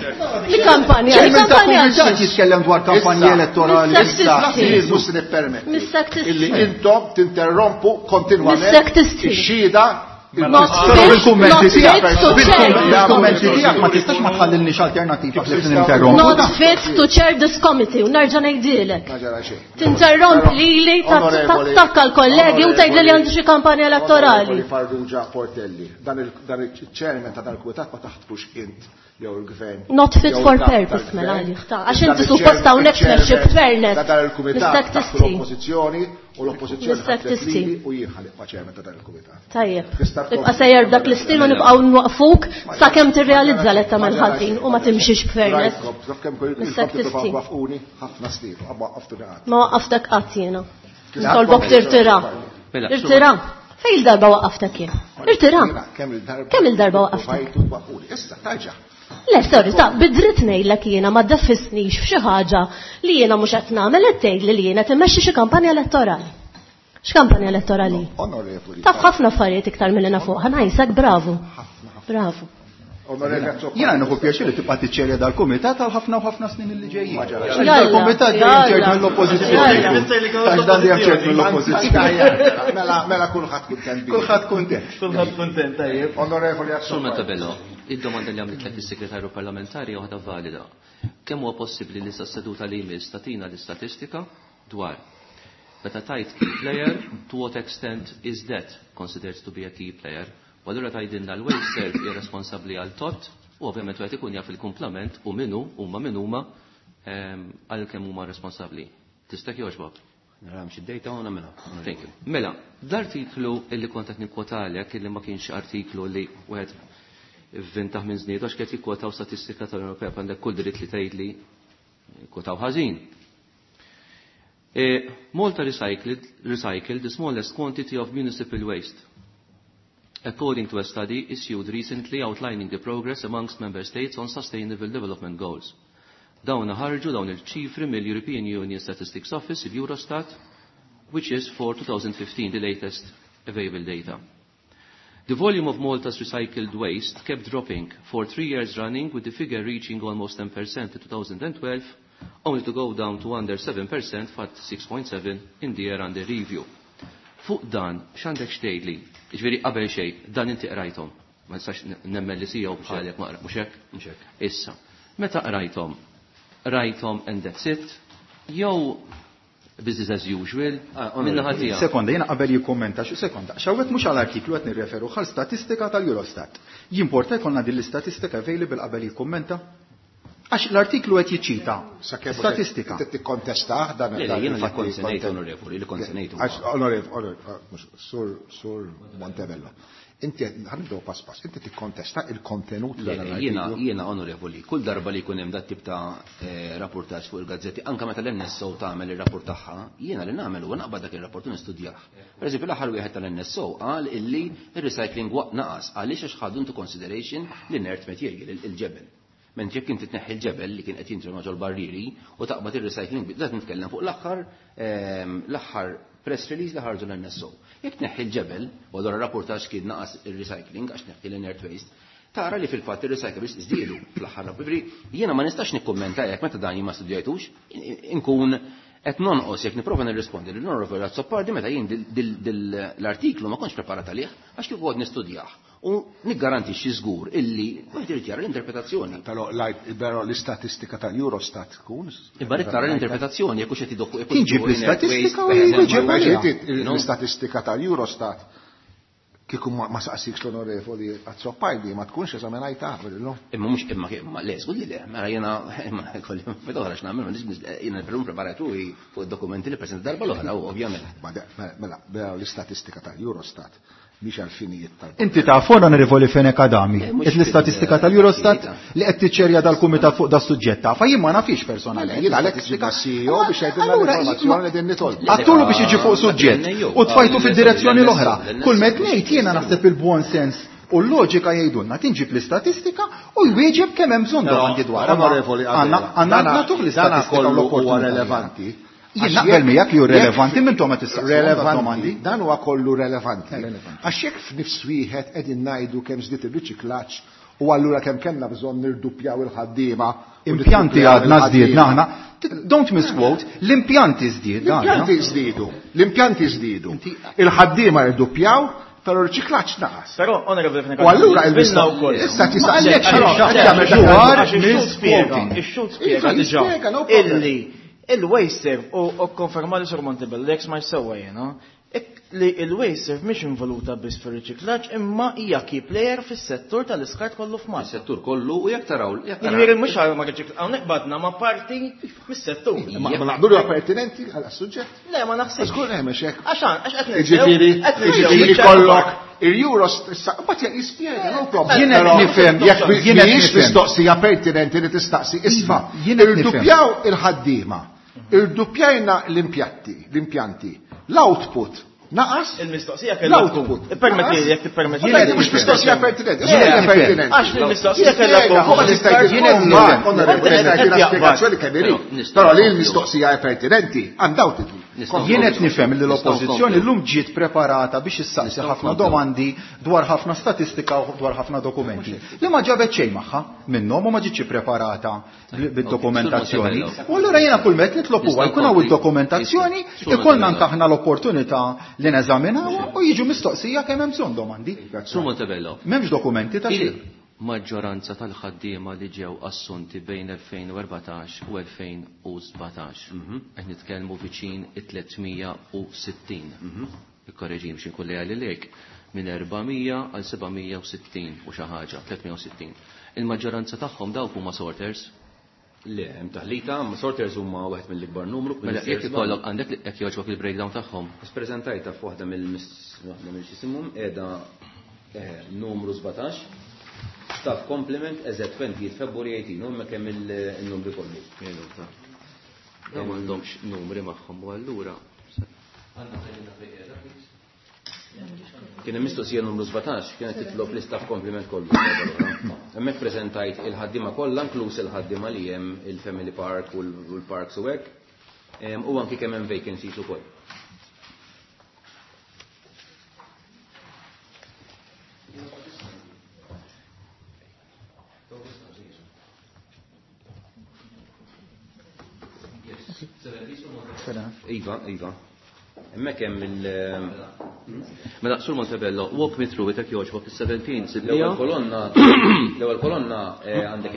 Li kampanja, li Chairman ta' kampanja. kumitat jitkellem dwar kampanji Issa. elettorali. Mis-sektist. Issa, jien mhux se nippermetti Mis-sektist. illi intom tinterrompu kontinwament Mis-sektist. ix-xhieda Not Però fit, bil-kummenti not tiegħek, fit to chair. bil-kummenti tiegħek ma tistax ma tħallilniex alternattiva ħlief ninterrompu. Not fit to chair this committee u nerġa' ngħidilek. Ma ġara xejn. Tinterromp Però, lili, onorevoli- tattakka l-kollegi u tgħidli li għandi xi kampanja elettorali. Onorevoli Farrugia Portelli, dan il-chairman ta' dan il-kumitat ma taħtfux int jew il-gvern. Not fit jew for il-kap purpose, tal-gvern. mela għalih, ta' għax Dan inti suppost hawnhekk il-chairman tmexxi b'fairness. Ta' dan il-kumitat Mistek taħtu tistħi. l-oppożizzjoni u l-oppożizzjoni Mistek ħatlet tistħi. lili u jien ħalib ma' chairman ta' dan il-kumitat. Tajjeb. Tista' tkompli. Tibqa' sejjer b'dak l-istil u nibqgħu nwaqfuk sakemm tirrealizza li qed tagħmel ħażin u ma timxix b'fairness. Rajtkom, taf kemm kol- Mistek ilkom tippruvaw tistħi. twaffquni ħafna snin, u waqqaftuni qatt. Ma waqqaftek qatt jiena. Nitolbok tirtira. Mela, Irtira. Fejn il-darba waqqaftek jien? Irtira. Jiena Kemm il-darba? Kemm il-darba waqqaftek? Provajtu twaqqfuni. Issa, tarġa'. Le, sorry, ta' bidrit ngħidlek jiena ma ddeffisnix f'xi ħaġa li jiena mhux qed nagħmel qed tgħidli li jiena timmexxi xi kampanja elettorali. X'kampanja elettorali? Onorevoli. Taf ħafna affarijiet iktar milli nafuq, ħanajsek bravu. Bravu. Onorevoli Azzopardi. Jiena nieħu pjaċir li tibqa' tiċċerja dal-kumitat għal ħafna u ħafna snin li ġejjin. Ma ġara Għax Jalla, Dal-kumitat dejjem ċert jalla. mill-oppożizzjoni. Jalla. Għax dan dejjem ċert mill-oppożizzjoni. Mela, mela kulħadd kuntent bi. Kulħadd kuntent. Kulħadd kuntent, tajjeb. Onorevoli Sur Azzopardi. Montebello, id-domanda li għamlet is-segretarju parlamentari hija waħda valida. Kemm huwa possibbli li sa seduta li jmiss tagħtina l-istatistika dwar meta tajt key player, to what extent is that considered to be a key player? U allura tgħidilna l-waste serve hija responsabbli għal tot u ovvjament wieħed ikun jaf il-kumplament u minnu huma min huma għal kemm huma responsabbli. Tista' jogħġbok? Nara mxi d-dejta u nagħmilha. Thank you. Mela, l-artiklu illi kont qed nikkwotalek illi ma kienx artiklu li wieħed vvintaħ minn żniedu għax qed jikkwotaw statistika tal-Unjoni Ewropea għandek kull dritt li tgħidli kwotaw ħażin. Malta recycled the smallest quantity of municipal waste. According to a study issued recently outlining the progress amongst member states on sustainable development goals. Dawn ħarġu dawn il-ċifri mill-European Union Statistics Office, il-Eurostat, which is for 2015, the latest available data. The volume of Malta's recycled waste kept dropping for 3 years running, with the figure reaching almost 10% in 2012, only to go down to under 7% fat 6.7 in the year under review. Fuq dan, x'għandek xtejli? Ġifieri qabel xejn, dan inti qrajthom. Ma nistax nemmen li sija u bħalek ma qra- mhux hekk? Mhux hekk. Issa, meta qrajthom, rajthom and that's it, jew Business as usual, min-naħa tiegħek. Sekonda, jiena qabel jikkummenta xi sekonda. X'hawnhekk mhux għal artiklu qed nirreferu għal statistika tal-Eurostat. Jimporta jkollna din l-istatistika available qabel jikkummenta? Għax l-artiklu qed jiċċita statistika. Inti tikkontestah dan Le, le, jiena li kont se ngħid, onorevoli, li kont se ngħid huwa. Għax, onorevoli, mhux, sur, sur Montebello. Inti qed, ħa nibdew pass pass, inti tikkontesta il-kontenut Le, ta' dan le, jiena, l-artiklu? jiena, onorevoli, kull darba li jkun hemm dat tip ta' rapportaġġ fuq il-gazzetti, anke meta l-NSO tagħmel ir-rapport tagħha, jiena li nagħmel huwa naqbad dak ir-rapport u nistudjah. Per eżempju, l-aħħar wieħed tal-NSO qal illi ir-recycling waqt naqas għaliex għax ħadu into consideration l-inert material, il-ġebel. Mentri jekk inti tneħħi l-ġebel li kien qed jintrema ġol-barriri u taqbad ir-recycling, dak nitkellem fuq l-aħħar press release li ħarġu l-NSO. Jekk tneħħi l-ġebel, u allura rapportaġġ kien naqas ir-recycling għax tneħħi l-inert waste, tara li fil-fatt ir-recyclables żdiedu fl-aħħar rapport. Ġifieri, jiena ma nistax nikkummenta jekk meta dan jien ma studjajtux, inkun qed nonqos jekk nipprova nirrispondi lil Onorevoli Azzopardi meta jien l-artiklu ma kontx preparat għalih għax kieku qgħod nistudjah. U niggarantixxi żgur illi wieħed irid jara l-interpretazzjoni. Però l-istatistika tal-Eurostat tkun Imma rrid tara l-interpretazzjoni jekk hux qed idokku jekk hux Tinġib jidokku l-istatistika u inert waste, jġib per eżempju. għaliha. No? L-istatistika tal-Eurostat kieku ma saqsikx l-onorevoli Azzopardi ma tkunx eżaminajta qabel illum. Imma mhux imma kif, ma le, żgur li le, mela jiena imma kolli fil-oħra x'nagħmel, ma nix jiena nipprova preparat ruħi fuq id-dokumenti li preżenta darba l-oħra, u ovvjament. Ma de, mela, mela, mela l-istatistika tal-Eurostat mhix għal-finijiet tal- Inti taf, onorevoli Fenech Adami, Le, mhux qed l-istatistika fil- tal-Eurostat fil- li qed tiċċerja dal-kumitat fuq da suġġett taf, jien ma nafix personalment. Mela, jien għalhekk l-istatistika. ġibna CEO biex jgħidilna Allura, l-informazzjoni ma- li din nitolbu. Għattulu biex jiġi fuq suġġett u tfajtu fid-direzzjoni l-oħra. L-NSO, Kull met ngħid jiena naħseb il-buon sens u l-loġika jgħidulna tinġib l-istatistika u jwieġeb kemm hemm bżonn domandi dwar. Onorevoli Adela, Għandna nagħtuh dana l-istatistika u kollu huwa l-opportunità. relevanti. Jien Għax naqbel jekk- miegħek li hu jekk relevanti, minn ma tistaqsi Relevanti, domandi. Dan huwa kollu relevanti. Relevanti. Għax jekk f'nifs wieħed qegħdin ngħidu kemm żdied ir-riċiklaġġ u allura kemm kellna bżonn nirduppjaw il-ħaddiema u Impjanti nirduppjaw għadna il-ħaddiema. żdiedna aħna. Don't misquote, l-impjanti żdiedna aħna. L-impjanti żdiedu, l-impjanti żdiedu. Il-ħaddiema rduppjaw, però r-riċiklaġġ naqas. Però, onorevoli Fenech U allura Adami, il-mistoqsija żvilna wkoll. Issa Ma tista' għalhekk xi xi qed jagħmel dak dwar il-ħaġa. Ix-xhud misquoting. spjega, ix-xhud spjega Iva, diġà jispjega, no problem. illi il-WasteServ u konferma li Sur Montebello, jekk smajt sewwa jiena, li il-WasteServ mhix involuta biss fir-riċiklaġġ imma hija key player fis-settur tal-iskart kollu f'Malta. Fis-settur kollu u jekk taraw, jekk taraw. Jiġifieri mhux għal ma riċiklaġġ, hawnhekk badna ma' parti mis-settur. Ma naqblu huwa pertinenti għal suġġett. Le, ma naħsibx. Żgur hemm hekk. Għax għax qed ninsew, Jiġifieri, qed ninsew jiġifieri biċ-ċertu kollok part. il-Euros issa mbagħad jispjega, no problem. Jien qed Però nifhem, jekk jien qed mhijiex nifhem. mistoqsija pertinenti li tistaqsi isma'. Jien qed nifhem. Irduppjaw il-ħaddiema, irduppjajna l-impjanti, l-output naqas. Il-mistoqsija kellha tkun. L-output. Ippermetti li jekk tippermetti. Jien mhux mistoqsija pertinenti, Le, hija pertinenti. Għax il-mistoqsija kellha tkun. Jispjega, ma tista' Jien qed jkun nifhem. onorevoli, Qed tista' jaqbad. spjegazzjoni kemm irid. Nistgħu Però li nkomplu. l-mistoqsija hija pertinenti, undoubtedly. Nistgħu Jien qed nifhem li Nistgħu l-oppożizzjoni nkomplu. llum ġiet preparata biex issaqsi Nistgħu ħafna nkomplu. domandi dwar ħafna statistika u dwar ħafna dokumenti. Li ma ġabet xejn magħha minnhom u ma ġietx ippreparata bid-dokumentazzjoni. Sur U allura jiena kull met nitlob huwa Nistgħu jkun hawn nkompli. id-dokumentazzjoni, Sur ikollna Montebello. anke aħna l-opportunità li neżaminawha u jiġu mistoqsija kemm hemm bżonn domandi. Sur Montebello. M'hemmx dokumenti ta' xejn. Il-maġġoranza tal-ħaddiema li ġew assunti bejn 2014 u 2017. Qed nitkellmu viċin it-360. Ikkorreġim xi nkun lejali lejk minn 400 għal 760 u xi ħaġa, 360. Il-maġġoranza tagħhom dawk huma sorters. Le, hemm taħlita, ma sorters huma wieħed mill-ikbar numru. Mela jekk ikollok għandek jekk jogħġbok il-breakdown tagħhom. Preżentajta f'waħda mill waħda mill-xisimhom qiegħda numru 17. Staff complement as at 20 February 18, u hemmhekk hemm il-numri kollu. Minuta. Dawn m'għandhomx numri magħhom u allura. Għandna tgħidilna fejn qiegħda, please? Kien hemm mistoqsija numru 17, kienet titlob l-istaff complement kollu. Hemmhekk preżentajt il-ħaddiema kollha, inkluż il-ħaddiema li hemm il-Family Park u l-Parks u hekk. U anki kemm hemm vacancies ukoll. Iva, iva. Hemmhekk hemm il- Mela, Sur Montebello, walk me through it jekk jogħġbok is-17 L-ewwel kolonna, l-ewwel kolonna għandek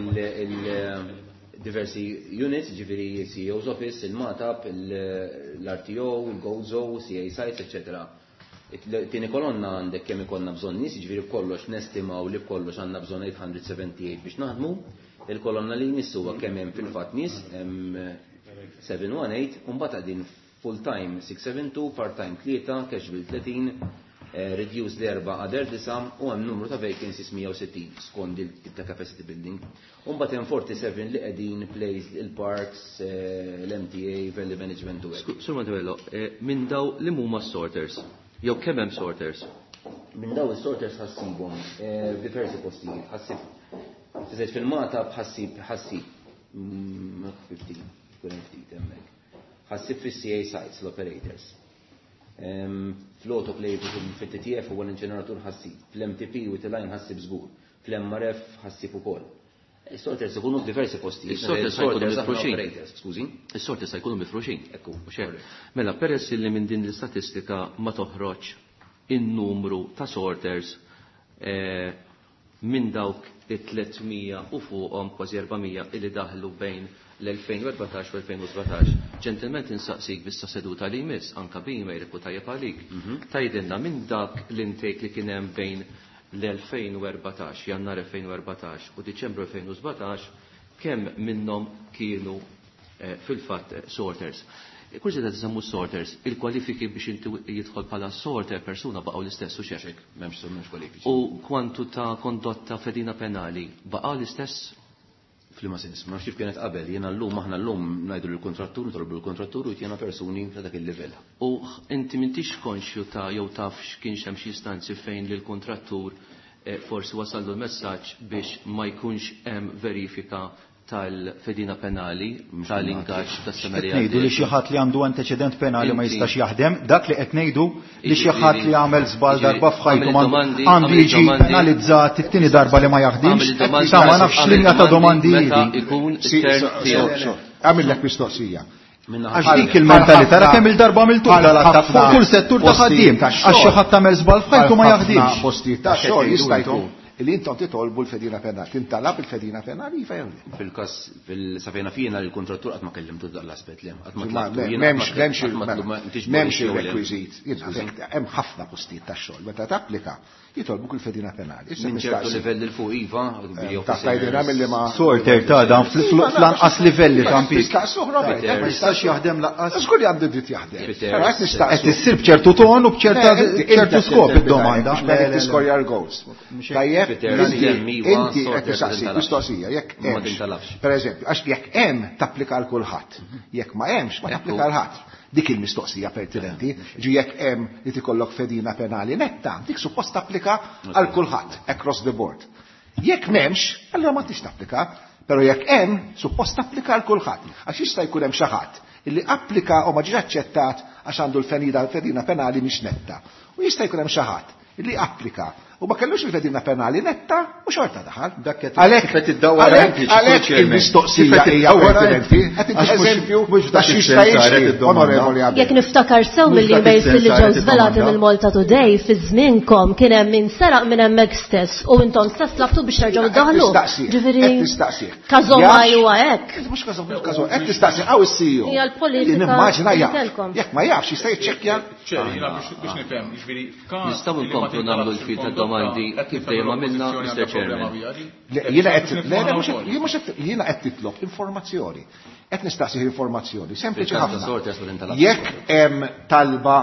Diversi units, ġifieri CEO's Office, il-MATAP, l-RTO, il-Gozo, CA Sites, eccetera. Tieni kolonna għandek kemm ikollna bżonn nies, ġifieri b'kollox nestimaw li b'kollox għandna bżonn 878 biex naħdmu. Il-kolonna li jmiss huwa kemm hemm fil-fatt nies, hemm 718, u mbagħad qegħdin full time 672, part time 3, casual 30, reduced l-erba' other 9 u hemm numru ta' vacancies 160 skont il-tip ta' capacity building. U mbagħad hemm 47 li qegħdin placed il-parks, l-MTA, value management u hekk. Sur Montebello, minn daw li huma sorters? Jew kemm hemm sorters? Minn daw is-sorters ħassibhom f'diversi postijiet. Ħassib Tiżed fil-Mata bħassib ħassib. 50, kun hemm ftit hemmhekk. Ħassib fis-CA sites l-operators. Fl-autoclave fit-TTF huwa l-inċeneratur ħassib. Fl-MTP u T-line ħassib żgur. Fl-MRF ħassib ukoll. Is-sorters ikunu f'diversi postijiet. Is-sorters jkunu Is-sorters aħna mifruxin. operators, skużi. Is-sorters jkunu mifruxin. Ekku, Mhux hekk. Mela, peress li minn din l-istatistika ma toħroġ in-numru ta' sorters minn dawk it-300 u fuqhom kważi 400 illi daħlu bejn l-2014 u 2017. Ġentilment insaqsik bissa seduta li jmiss, anka b'email ikun tajjeb għalik. Tgħidilna minn dak l-intake li kien hemm bejn l-2014, Jannar 2014 u Diċembru 2017, kemm minnhom kienu fil-fatt sorters. Kursi ta' tisemmu sorters, il-kwalifiki biex inti jidħol bħala sorter persuna baqgħu l-istess u xejn. M'hemmx kwalifiki. U kwantu ta' kondotta fedina penali baqgħu l-istess? F'liema sens, ma nafx kif kienet qabel, jiena llum aħna llum ngħidu lill-kontrattur, nitolbu lill-kontrattur u jtina persuni ta' dak il-livell. U inti m'intix konxju ta' jew taf x'kienx hemm xi istanzi fejn lill-kontrattur forsi wasallu l-messaġġ biex ma jkunx hemm verifika tal-fedina penali, tal-ingaġġ tas-sena li Qed ngħidu li għaddiet. xi ħadd li għandu anteċedent penali ma Inti. jistax jaħdem, dak li qed ngħidu li xi Jiġifieri, ħadd li għamel żball jiġifieri, darba f'ħajtu għamel domandi, għandu għamel jiġi domandi. penalizzat it-tieni darba li ma jaħdimx. Għamel domandi, Sa ma nafx għamel linja ta' domandi meta hi. ikun Sì, it-term so, so, tiegħek. so. Għamillek mistoqsija. Għax dik il-mentalità, ra kemm il-darba għamiltu dal-attakk fuq kull settur ta' ħaddiem, għax xi ħadd tagħmel żball f'ħajtu ma jaħdimx. Postijiet ta' xogħol jista' jkun li intom titolbu l-fedina penali, tintalab il-fedina penali, iva jew le. Fil-każ fil-safejna fina li l-kontrattur qatt ma kellimtu dak l-aspett li qatt ma Ma tlabtu, jiena M'hemmx qatt ma m'hemmx qatt ma tlabtu, ma intix m'hemmx jew le. il-rekwiżit. Jiena hemm ħafna postijiet ta' xogħol meta tapplika jitolbuk il-fedina penali. Issa Minn ċertu nistaqsi. livell il fuq iva, Ta' tgħidilna milli ma Sorter ta' dan fl-anqas livelli ta' impjieg. Nistaqsuh, Robert. Ma jistax jaħdem laqqas. Żgur li għandu dritt jaħdem. Peter, Però qed nistaqsu. Qed issir b'ċertu ton u b'ċerta ċertu skop id-domanda. Biex ma tiskorja l-goals. Tajjeb, Peter, inti iva, inti qed sorter tistaqsi tintalabx. mistoqsija jekk Ma hemmx. tintalabx. Per eżempju, għax jekk hemm tapplika għal kulħadd. Jekk ma hemmx ma tapplika għal ħadd. Dik il-mistoqsija pertinenti, ġi jekk hemm li tikollok fedina penali netta, dik suppost tapplika għal kulħadd across the board. Jekk m'hemmx, allura ma tix tapplika, però jekk hemm, suppost tapplika għal kulħadd. Għax jista' jkun hemm xi ħadd illi applika u ma ġiex aċċettat għax għandu l-fedina penali mhix netta. U jista' jkun hemm xi ħadd illi applika u ma kellux il-fedina penali netta u xorta daħal. Dak qed Għalhekk kif qed iddawwar għalhekk inti, għalhekk Chairman. il-mistoqsija Kif qed hija iddawwar pertinenti. inti. Qed inti Għax mhux- eżempju mhux ta' dak xi is-sens jista' saret jiġri, id-domanda. onorevoli Abela. Jekk niftakar sew Mhux dak mill-emails is-sens li ġew saret żvelati id-domanda. mill-Malta Today fi żmienkom kien hemm min seraq minn hemmhekk stess u intom stess tlabtu biex terġgħu iddaħlu. Ġifieri Qed nistaqsih. każomaj huwa hekk. Mhux każom, mhux każom, qed nistaqsih hawn is-CEO. Hija l-politika Nimmaġina li jaf. kellkom. Jekk ma jafx jista' jiċċekkja. Ċer, jiena biex nifhem, jiġifieri f'każ Nistgħu li ma nkomplu nagħmlu tintalabx l-fil ta' il-kondotta, domandi qed kif nifhem dejjem għamilna, l-oppożizzjoni Mr. għandha problema Chairman. biha di? Le, Jiena qed Biex le, le, nifhmha mhux wkoll. jien mhux qed jiena qed titlob informazzjoni. Qed nistaqsih informazzjoni, sempliċi Fil-każ ta' ħafna. sorters ma tintalabx. Jekk hemm talba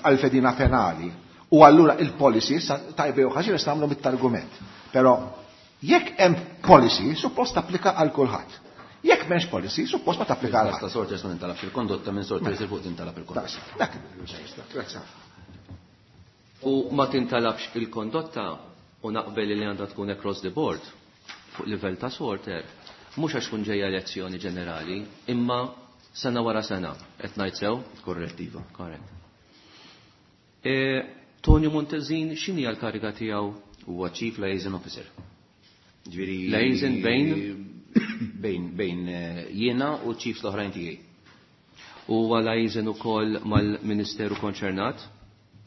għal-fedina penali u allura il-policy sa tajbe u ħażin nistgħu nagħmlu mit-argument. Però jekk hemm policy suppost tapplika għal kulħadd. Jekk m'hemmx policy suppost ma tapplika għal Fil-każ ta' ħadd. sorters ma tintalabx il-kondotta minn sorters il fuq tintalab il-kondotta. Daqs, Dak il-ġejsta, grazzi. U ma tintalabx il-kondotta u naqbel li għandha tkun across the board fuq livell ta' sorter, mhux għax tkun ġejja elezzjoni ġenerali, imma sena wara sena, qed ngħid sew? Korrettiva. Korrett. Tonio Montezin, x'inhi l-kariga tiegħu? Huwa Chief Liaison Officer. Ġifieri Liaison bejn? Bejn jiena u chiefs l-oħrajn tiegħi. Huwa liaison ukoll mal-Ministeru konċernat?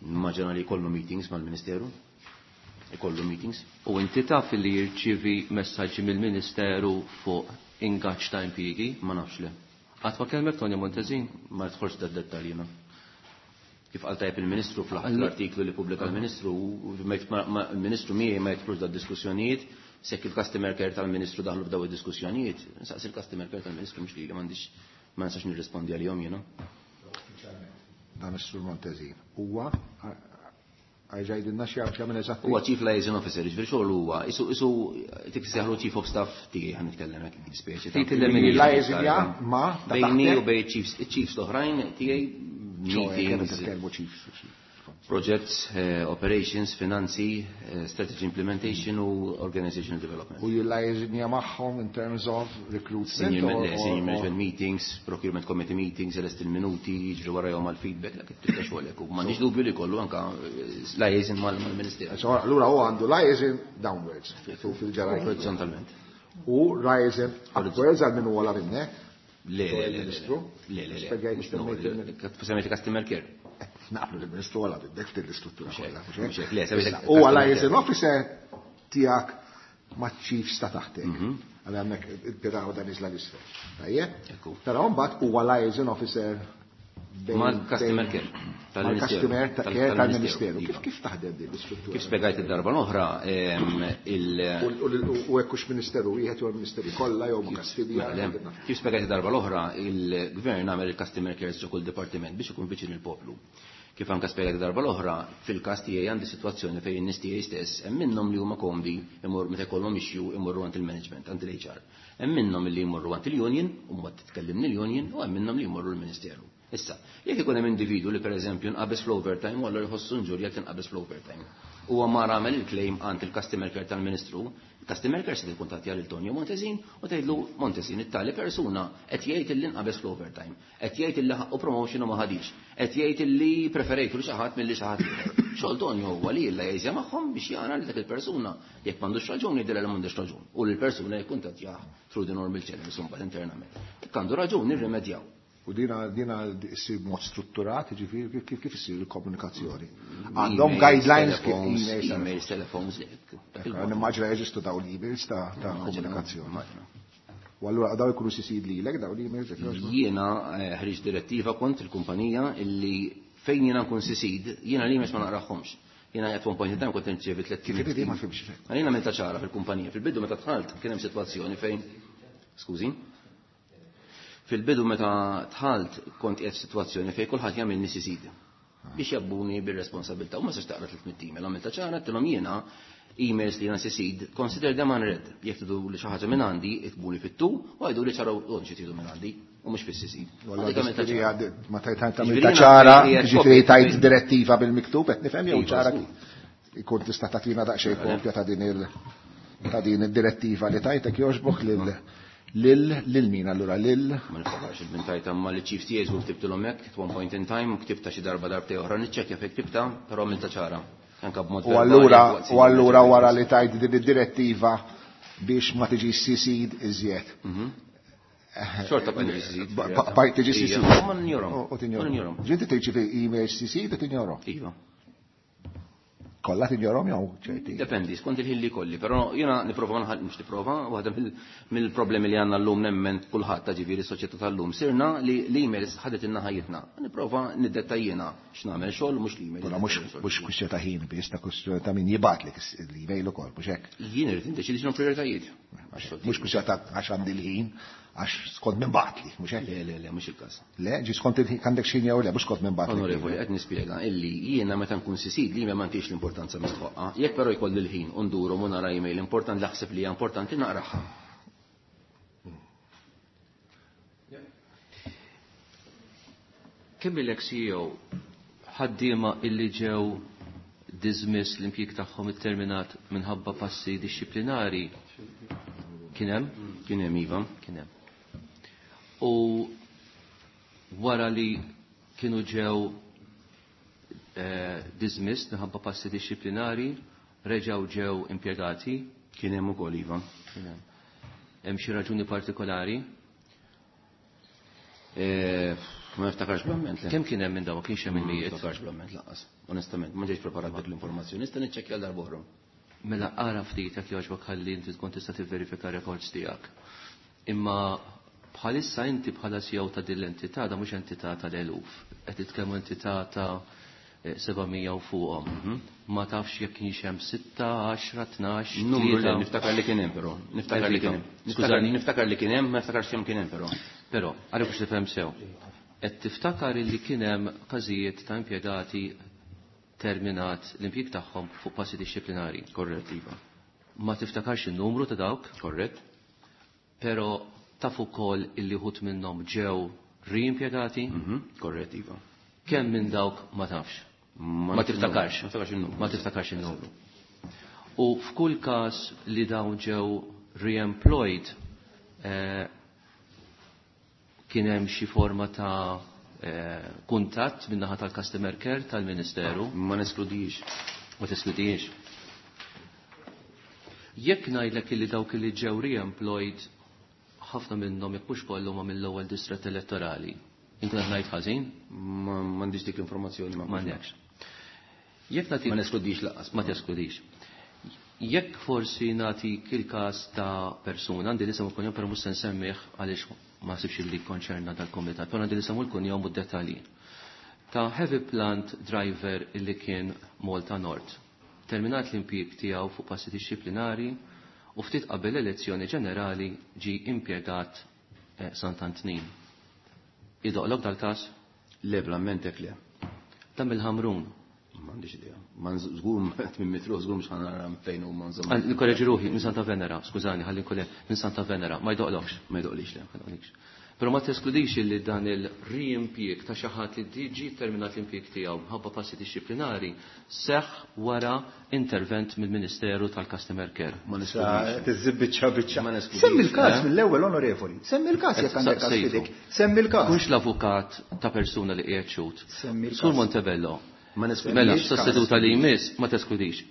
Immaġina li jkollu meetings mal-Ministeru. Ikollu meetings. U inti taf li jirċivi messaġġi mill-Ministeru fuq ingaġġ ta' impjiegi? Ma nafx le. Qatt ma kellmek Tonio Montesin? Ma nidħolx da dettalji jiena. Kif qal tajjeb il-Ministru fl-artiklu li pubblika l-Ministru, il-Ministru miegħi ma jidħlux da diskussjonijiet, sekk il-customer care tal-Ministru daħlu f'daw id-diskussjonijiet, saqsi il-customer care tal-Ministru mhux lili m'għandix ma nistax nirrispondi għalihom jiena. Dan is-Sur Montezin huwa għajġajdinna xi jagħmel eżatt. Huwa Chief Liaison Officer, jiġifieri xogħol huwa, isu isu tik seħlu Chief of Staff tiegħi ħa nitkellem hekk speċi. Liaison ja ma bejni u bej chiefs, chiefs l-oħrajn tiegħi meetings. Projects, operations, finanzi, strategy implementation u organizational development. U jillajżinja magħhom in terms of recruitment? Senior management meetings, procurement committee meetings, elest il-minuti, jiġri warajhom għal-feedback, dak it-tibda xogħolek. U m'għandix dubju li kollu anka liaison mal-Ministeru. Allura huwa għandu liaison downwards fil-ġerarkija. Orizzontalment. U liaison upwards għal min huwa minnek? Le, le, le, le, le. Semmejt customer care. Naqblu l-Ministru għala bidek ftit l-istruttura kollha. U għala liaison officer tiegħek ma' chiefs ta' taħtek. Għal hemmhekk il-piraw dan iżla l-isfel. Tajjeb? Però mbagħad huwa liaison officer mal-customer care tal-Ministeru. Tal-Ministeru. Kif taħdem din l-istruttura? Kif spjegajt id-darba l-oħra il- U hekk hux ministeru wieħed jew ministeri kollha jew ma' Kastilja. Kif spjegajt id-darba l-oħra, il-gvern għamel il-customer care ġo kull dipartiment biex ikun viċin il-poplu. Kif anke spjegajt id-darba l-oħra, fil-każ tiegħi għandi sitwazzjoni fejn in-nies tiegħi stess hemm minnhom li huma komdi imur meta jkollhom issue imorru għand il-management, għand il-HR. Hemm minnhom li jmorru għand il-union, u mbagħad titkellimni l-union, u hemm minnhom li jmorru l-ministeru. Issa, jekk ikun hemm individu li pereżempju nqabeż fl-overtime u allura jħossu nġurja tinqabeż fl-overtime. Huwa mar għamel il-claim għand il-customer care tal-Ministru, il-customer care se tikkuntattja lil Tonio Montesin u tgħidlu Montesin it-tali persuna qed jgħid illi nqabeż fl-overtime, qed jgħid illi ħaqqu promotion u ma ħadix, qed jgħid illi preferejtu li xi ħadd milli xi ħadd ieħor. Xogħol Tonio huwa li illa jgħiżja magħhom biex jara li dak il-persuna jekk m'għandux raġun jgħidilha li m'għandux raġun u li l-persuna jikkuntattjah through the normal channels imbagħad internament. Jekk għandu raġun nirrimedjaw. U dina dina issir mod strutturat, ġifieri kif issir il-komunikazzjoni. Għandhom guidelines kif emails, telephones. Nimmaġina jeżistu daw l-emails ta' komunikazzjoni. U allura daw ikunu sisid lilek daw l-emails? Jiena ħriġt direttiva kont il-kumpanija illi fejn jiena nkun sisid, jiena l-emails ma naqrahomx. Jiena at one point in time kont nirċievi tliet Kif ma fimx. Jiena għamilta ċara fil-kumpanija. Fil-bidu meta dħalt kien hemm sitwazzjoni fejn skużi. Fil-bidu meta dħalt kont qiegħed f'sitwazzjoni fejn kulħadd jagħmilni sisid biex jabbuni bir-responsabilità u ma sax taqra 300 email. Għamilta ċara għedtilhom jiena emails li jiena sisid consider them unread. Jekk tridu li xi ħaġa minn għandi, iktbuli fit-tu u għidu li ċaraw xi tridu minn għandi u mhux fis-sisid. Ma tajt għamilta ċara, ġifieri tajt direttiva bil-miktub qed nifhem jew ċara ikun tista' tagħtina daqsxejn kopja ta' din il ta' din id-direttiva li tajtek jogħġbok lil lil min allura lil Ma niftakarx il-min tajta ma li chief tiegħi żgur ktibtilhom hekk at one point in time u ktibta xi darba darbtej oħra niċċekkja fejn ktibta, però għamilta ċara. Anka b'mod U allura u allura wara li tajt din id-direttiva biex ma tiġi sisid iżjed. Xorta bqajt tiġi sisid. Bqajt tiġi sisid. Ma ninjorhom. U tinjorhom. Ġinti tirċievi email sisid u tinjorhom. Iva. Kollha tinjorhom jew ċerti? Dependi, skont il-ħin li kolli, però jiena nipprova nħall mhux nipprova, waħda mill-problemi li għandna llum nemmen kulħadd ta' ġifieri s-soċjetà tal-lum sirna li l-emails ħadet ilna ħajjitna. Nipprova niddettajjina x'nagħmel xogħol mhux l-email. Però mhux kwistjoni ta' ħin biss, ta' kwistjoni ta' min jibgħatlek l-email ukoll, mhux hekk? Jien irid niddeċidi x'inhu prioritajiet. Mhux kwistjoni ta' għax għandi l-ħin, għax skont minn bagħtli, mhux hekk? Le, le, le, mhux il-każ. Le, ġi skont il-ħin għandek xi jew le, mhux skont minn bagħtli. Onorevoli, qed nispjega illi jiena meta nkun sisid li ma m'għandix l-importanza mistħoqqa, jekk però jkolli l-ħin u nduru u nara email importanti naħseb li hija importanti naqraha. Kemm ilek CEO ħaddiema illi ġew dismiss l-impjieg tagħhom itterminat minħabba passi dixxiplinari? Kien hemm? Kien hemm, iva. Kien hemm. U wara li kienu ġew dismissed minħabba passi dixxiplinari, reġgħu ġew impjegati? Kien hemm ukoll, iva. Kien hemm. Hemm xi raġuni partikolari? Ma niftakarx bl-amment, le. Kemm kien hemm minn dawn? Kienx hemm il-mijiet? Ma niftakarx bl-amment lanqas. Onestament, ma ġejtx preparat dik l-informazzjoni, nista' niċċekkja għal darb'oħra. Mela ara ftit jekk jogħġbok ħalli inti tkun tista' tivverifika records tiegħek. Imma bħalissa inti bħala CEO ta' din l-entità, da mhux entità tal-eluf, qed titkellmu entità ta' 700 u fuqhom. Ma tafx jekk kienx hemm 6, 10, 12, Numru li niftakar li kien hemm però. Niftakar li kien hemm. Skużani? Niftakar li kien hemm, ma niftakarx kemm kien hemm però. Però, għalhekk biex tifhem sew. Qed tiftakar li kien hemm każijiet ta' impjegati terminat l-impjieg tagħhom fuq passi dixxiplinari. Korrett, iva. Ma tiftakarx in-numru ta' dawk? Korrett. Però taf ukoll illi wħud minnhom ġew riimpjegati? Korrett, iva. Kemm minn dawk ma tafx? Ma tiftakarx. Ma niftakarx in-numru. Ma tiftakarx in-numru. U f'kull każ li dawn ġew re-employed, kien hemm xi forma ta' kuntatt min-naħa tal-customer care tal-Ministeru? Ma neskludix. Ma teskludix. Jekk ngħidlek illi dawk li ġew re-employed ħafna minnhom jekk mhux kollu ma mill-ewwel distrett elettorali. Inkun qed ngħid ħażin? Ma m'għandix dik l-informazzjoni, ma M'għandekx. Jekk nagħti Ma neskludix lanqas. Ma teskludix. Jekk forsi nagħtik il-każ ta' persuna, għandi l-isem u l-kunjom, però mhux se nsemmih għaliex ma nsibx li konċerna dal-kumitat, però għandi l-isem u l-kunjom u d-dettalji. Ta' heavy plant driver illi kien Malta North. Terminat l-impjieg tiegħu fuq passi dixxiplinari u ftit qabel l-elezzjoni ġenerali ġi impjegat Sant'Antnin. Idoqlok dal-każ? Le, blamment hekk le. Ta' mill-Ħamrun. M'għandix idea. Ma żgur minn mitluq, żgur mhux ħanara fejn huma insomma. Nikorreġi ruħi minn Santa Venera, skużani, ħalli nkolli minn Santa Venera, ma jdoqlokx. Ma jdoqlix le. Ma jdoqlix. Però ma teskludix li dan il-riimpjieg ta' xi ħadd li diġi terminat l-impjieg tiegħu minħabba passi dixxiplinari seħħ wara intervent mill-Ministeru tal-Customer Care. Ma neskludix. Tiżżib biċċa biċċa. Ma neskludix. Semmi l-każ Eh? mill-ewwel, onorevoli. Semmi l-każ jekk għandek każ Sejfu. f'idek. Semmi l-każ. Kunx l-avukat ta' persuna li qiegħed xhud. Semmi l-każ. Sur Montebello. Ma neskludix. Mela, sa seduta li jmiss ma teskludix.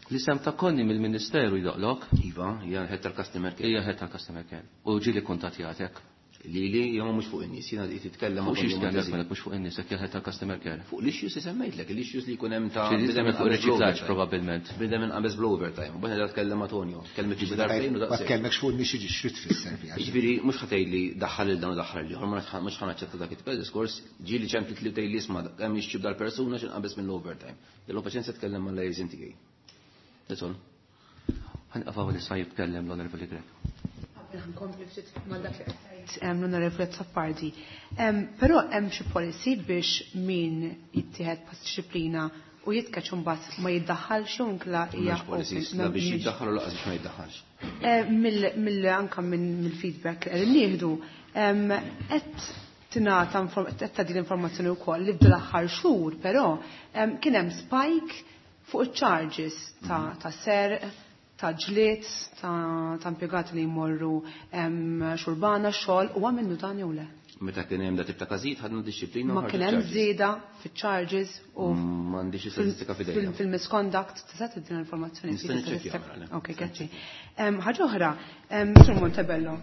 L-isem ta' Konni mill-Ministeru jdoqlok? Iva, hija head tal-Customer Care. Hija head tal-Customer Care. U ġieli kuntattjatek? Lili, jew mhux fuq in-nies, jiena qed titkellem Fuq ma' xiex Konni tkellem Montesi. mela mhux fuq in-nies, jekk hija head tal-Customer Care. Fuq l-issues li semmejtlek, l-issues li jkun hemm ta' Xi bidem titkellem fuq inqabeż riċiklaġġ bl-overtime. probabbilment. Bidem inqabeż bl-overtime. U bħed tkellem ma' Tonio, kellmet xi darbtejn u Ma daqshekk. tkellmekx fuq in-nies jiġi xrid tfisser fiha. Jiġifieri mhux ħa tgħidli daħħal il dan u daħħal l-ieħor, ma mhux ħa naċċetta dak it diskors, ġieli ċemplit li tgħidli isma' hemm jixxib dal-persuna x'inqabeż mill-overtime. Jellu paċenzja tkellem mal-liaison tiegħi. That's all. Ħanqafaw li sa jitkellem l-Onorevoli Grech. Nkompli ftit ma' dak li qed tgħid, l-Onorevoli Azzopardi. Però hemm xi policy biex min jittieħed pass dixxiplina u jitkeċ imbagħad ma jiddaħħalx jew inkla hija M'hemmx policies, open, la biex m'hemmx. jiddaħħal u lanqas biex ma jiddaħħalx. Anka mill-feedback li qegħdin nieħdu, qed tingħata qed tagħti l-informazzjoni wkoll li f'dil aħħar xhur, però kien hemm spike fuq iċ-charges ta' serq, ta' ġlied, ta' impjegati li jmorru xurbana xogħol, u minnu dan jew le? Meta kien hemm da tip ta' każijiet ħadna dixxiplina u Ma ħarġu kien hemm charges. żieda fiċ-charges u M'għandix istatistika f'idejja. fil-misconduct, tista' tiddina l-informazzjoni Nista' fil- niċċekkja, statistika? mela, le. Ok, grazzi. Ħaġa oħra, Sur Montebello.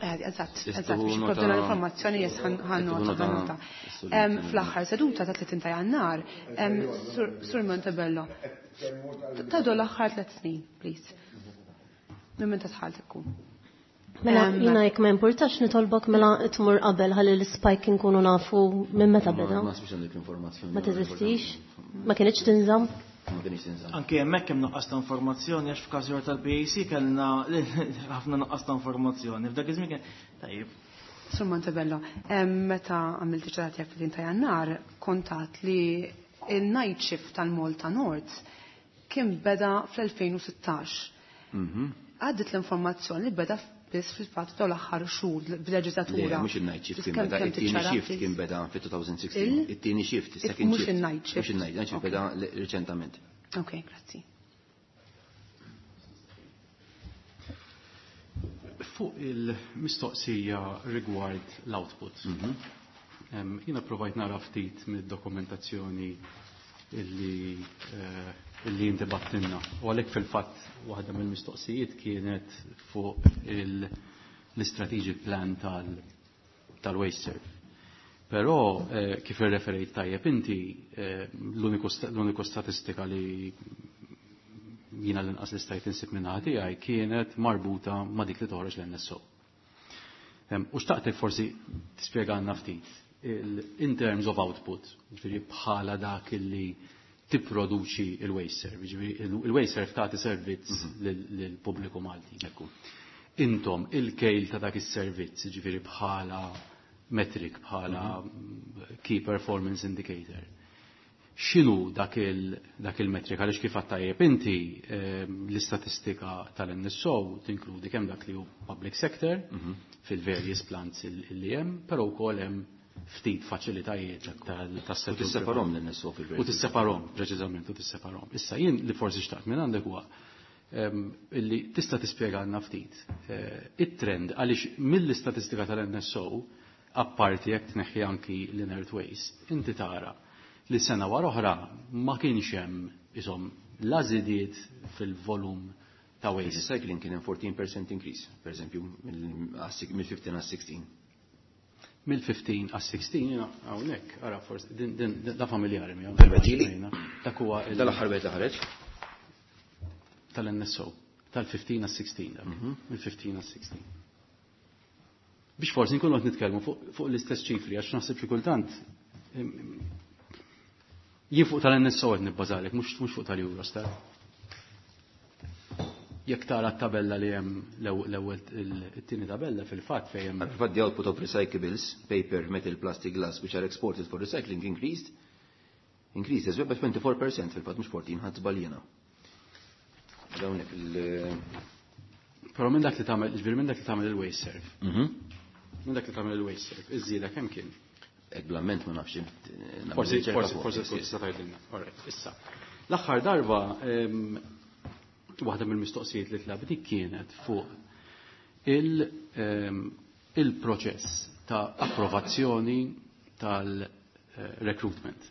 Eżatt, Tista' eżatt, biex nota- jipprovduna l-informazzjoni, jes, ħan Tista' nota, nota ħan nota. s-sur Montebello. Fl-aħħar seduta ta' 30 ta' Jannar, Sur Montebello, tadu l-aħħar 3 snin, please. Minn meta tħalt ikun. Mela, jina jekk ma importax nitolbok mela tmur qabel ħalli l-spike nkunu nafu minn meta beda. Ma nasibx għandek l-informazzjoni. Ma teżistix? Ma kienx tinżamm? Ma kienx tinżamm. Anke hemmhekk hemm nuqqas ta' informazzjoni għax f'każ ieħor tal-PAC kellna ħafna nuqqas ta' informazzjoni. F'dak iż-żmien kien tajjeb. Sur Montebello, meta għamilt iċ-ċerata tiegħek fil ta' Jannar, kontat li il-night shift tal-Malta North kien beda fl-2016. Għaddit l-informazzjoni li beda biss fil-fatt dawn l-aħħar xhur b'leġislatura. Le, mhux il-night shift Biss kien beda, kemm it-tieni tiċċara, shift please? kien beda fit-2016. Il? It-tieni shift, second Mhux shift. il-night shift. Mhux il-night, night shift beda reċentament. Ok, grazzi. Fuq il-mistoqsija rigward l-output. Jiena provajt nara ftit mid-dokumentazzjoni illi inti battinna. U għalhekk fil-fatt waħda mill-mistoqsijiet kienet fuq l-strategic plan tal-WasteServ. Però kif irreferejt tajjeb inti, l-uniku statistika li jiena l-inqas li stajt insib minn tiegħi kienet marbuta ma' dik li toħroġ l-NSO. U xtaqtek forsi tispjegana ftit in terms of output, ġifieri bħala dak illi tipproduċi il-Wasteserv, ġifieri il-Wasteserv tagħti servizz lill-pubbliku Malti. Intom il-kejl ta' dak is-servizz, ġifieri bħala metric, bħala key performance indicator. X'inhu dak il-metric għaliex kif għadt tajjeb inti l-istatistika tal-NSO tinkludi kemm dak li hu public sector fil-various plants li hemm, però wkoll hemm ftit faċilitajiet tas-settur. U tisseparahom l-NSO fil-verità. U tisseparahom, preċiżament, u tisseparahom. Issa jien li forsi xtaqt minn għandek huwa illi tista' tispjegalna ftit it-trend għaliex mill-istatistika tal-NSO apparti jekk tneħħi anki l-inert waste, inti tara li sena wara oħra ma kienx hemm isom la żidiet fil-volum ta' waste. Recycling kien hemm 14% increase, per eżempju, mill-15 għal 16. Mill-15 għal 16 jiena hawnhekk, ara forsi din da familjari miegħu. Permettili? Dak huwa Dal-aħħar bejt ħareġ? Tal-NSO, tal-15 għal 16 dak, mill-15 għal 16. Biex forsi nkunu qed nitkellmu fuq l-istess ċifri għax naħseb xi kultant jien fuq tal-NSO qed nibbażalek, mhux fuq tal-Eurostat. Jekk tara t-tabella li hemm l-ewwel it-tieni tabella fil-fatt fejn hemm Fil-fatt the output of recyclables, paper, metal, plastic, glass, which are exported for recycling increased as well by 24% fil-fatt mhux 14 ħadd żbaljena. Dawnek il- Però minn dak li tagħmel, ġifieri minn dak li tagħmel il-Wasteserv. Minn dak li tagħmel il-Wasteserv, iż-żieda kemm kien? Ek bl-amment ma nafx. Forsi forsi forsi tkun tista' tgħidilna. All right, issa. L-aħħar darba waħda mill-mistoqsijiet li tlab dik kienet fuq il-proċess ta' approvazzjoni tal-recruitment.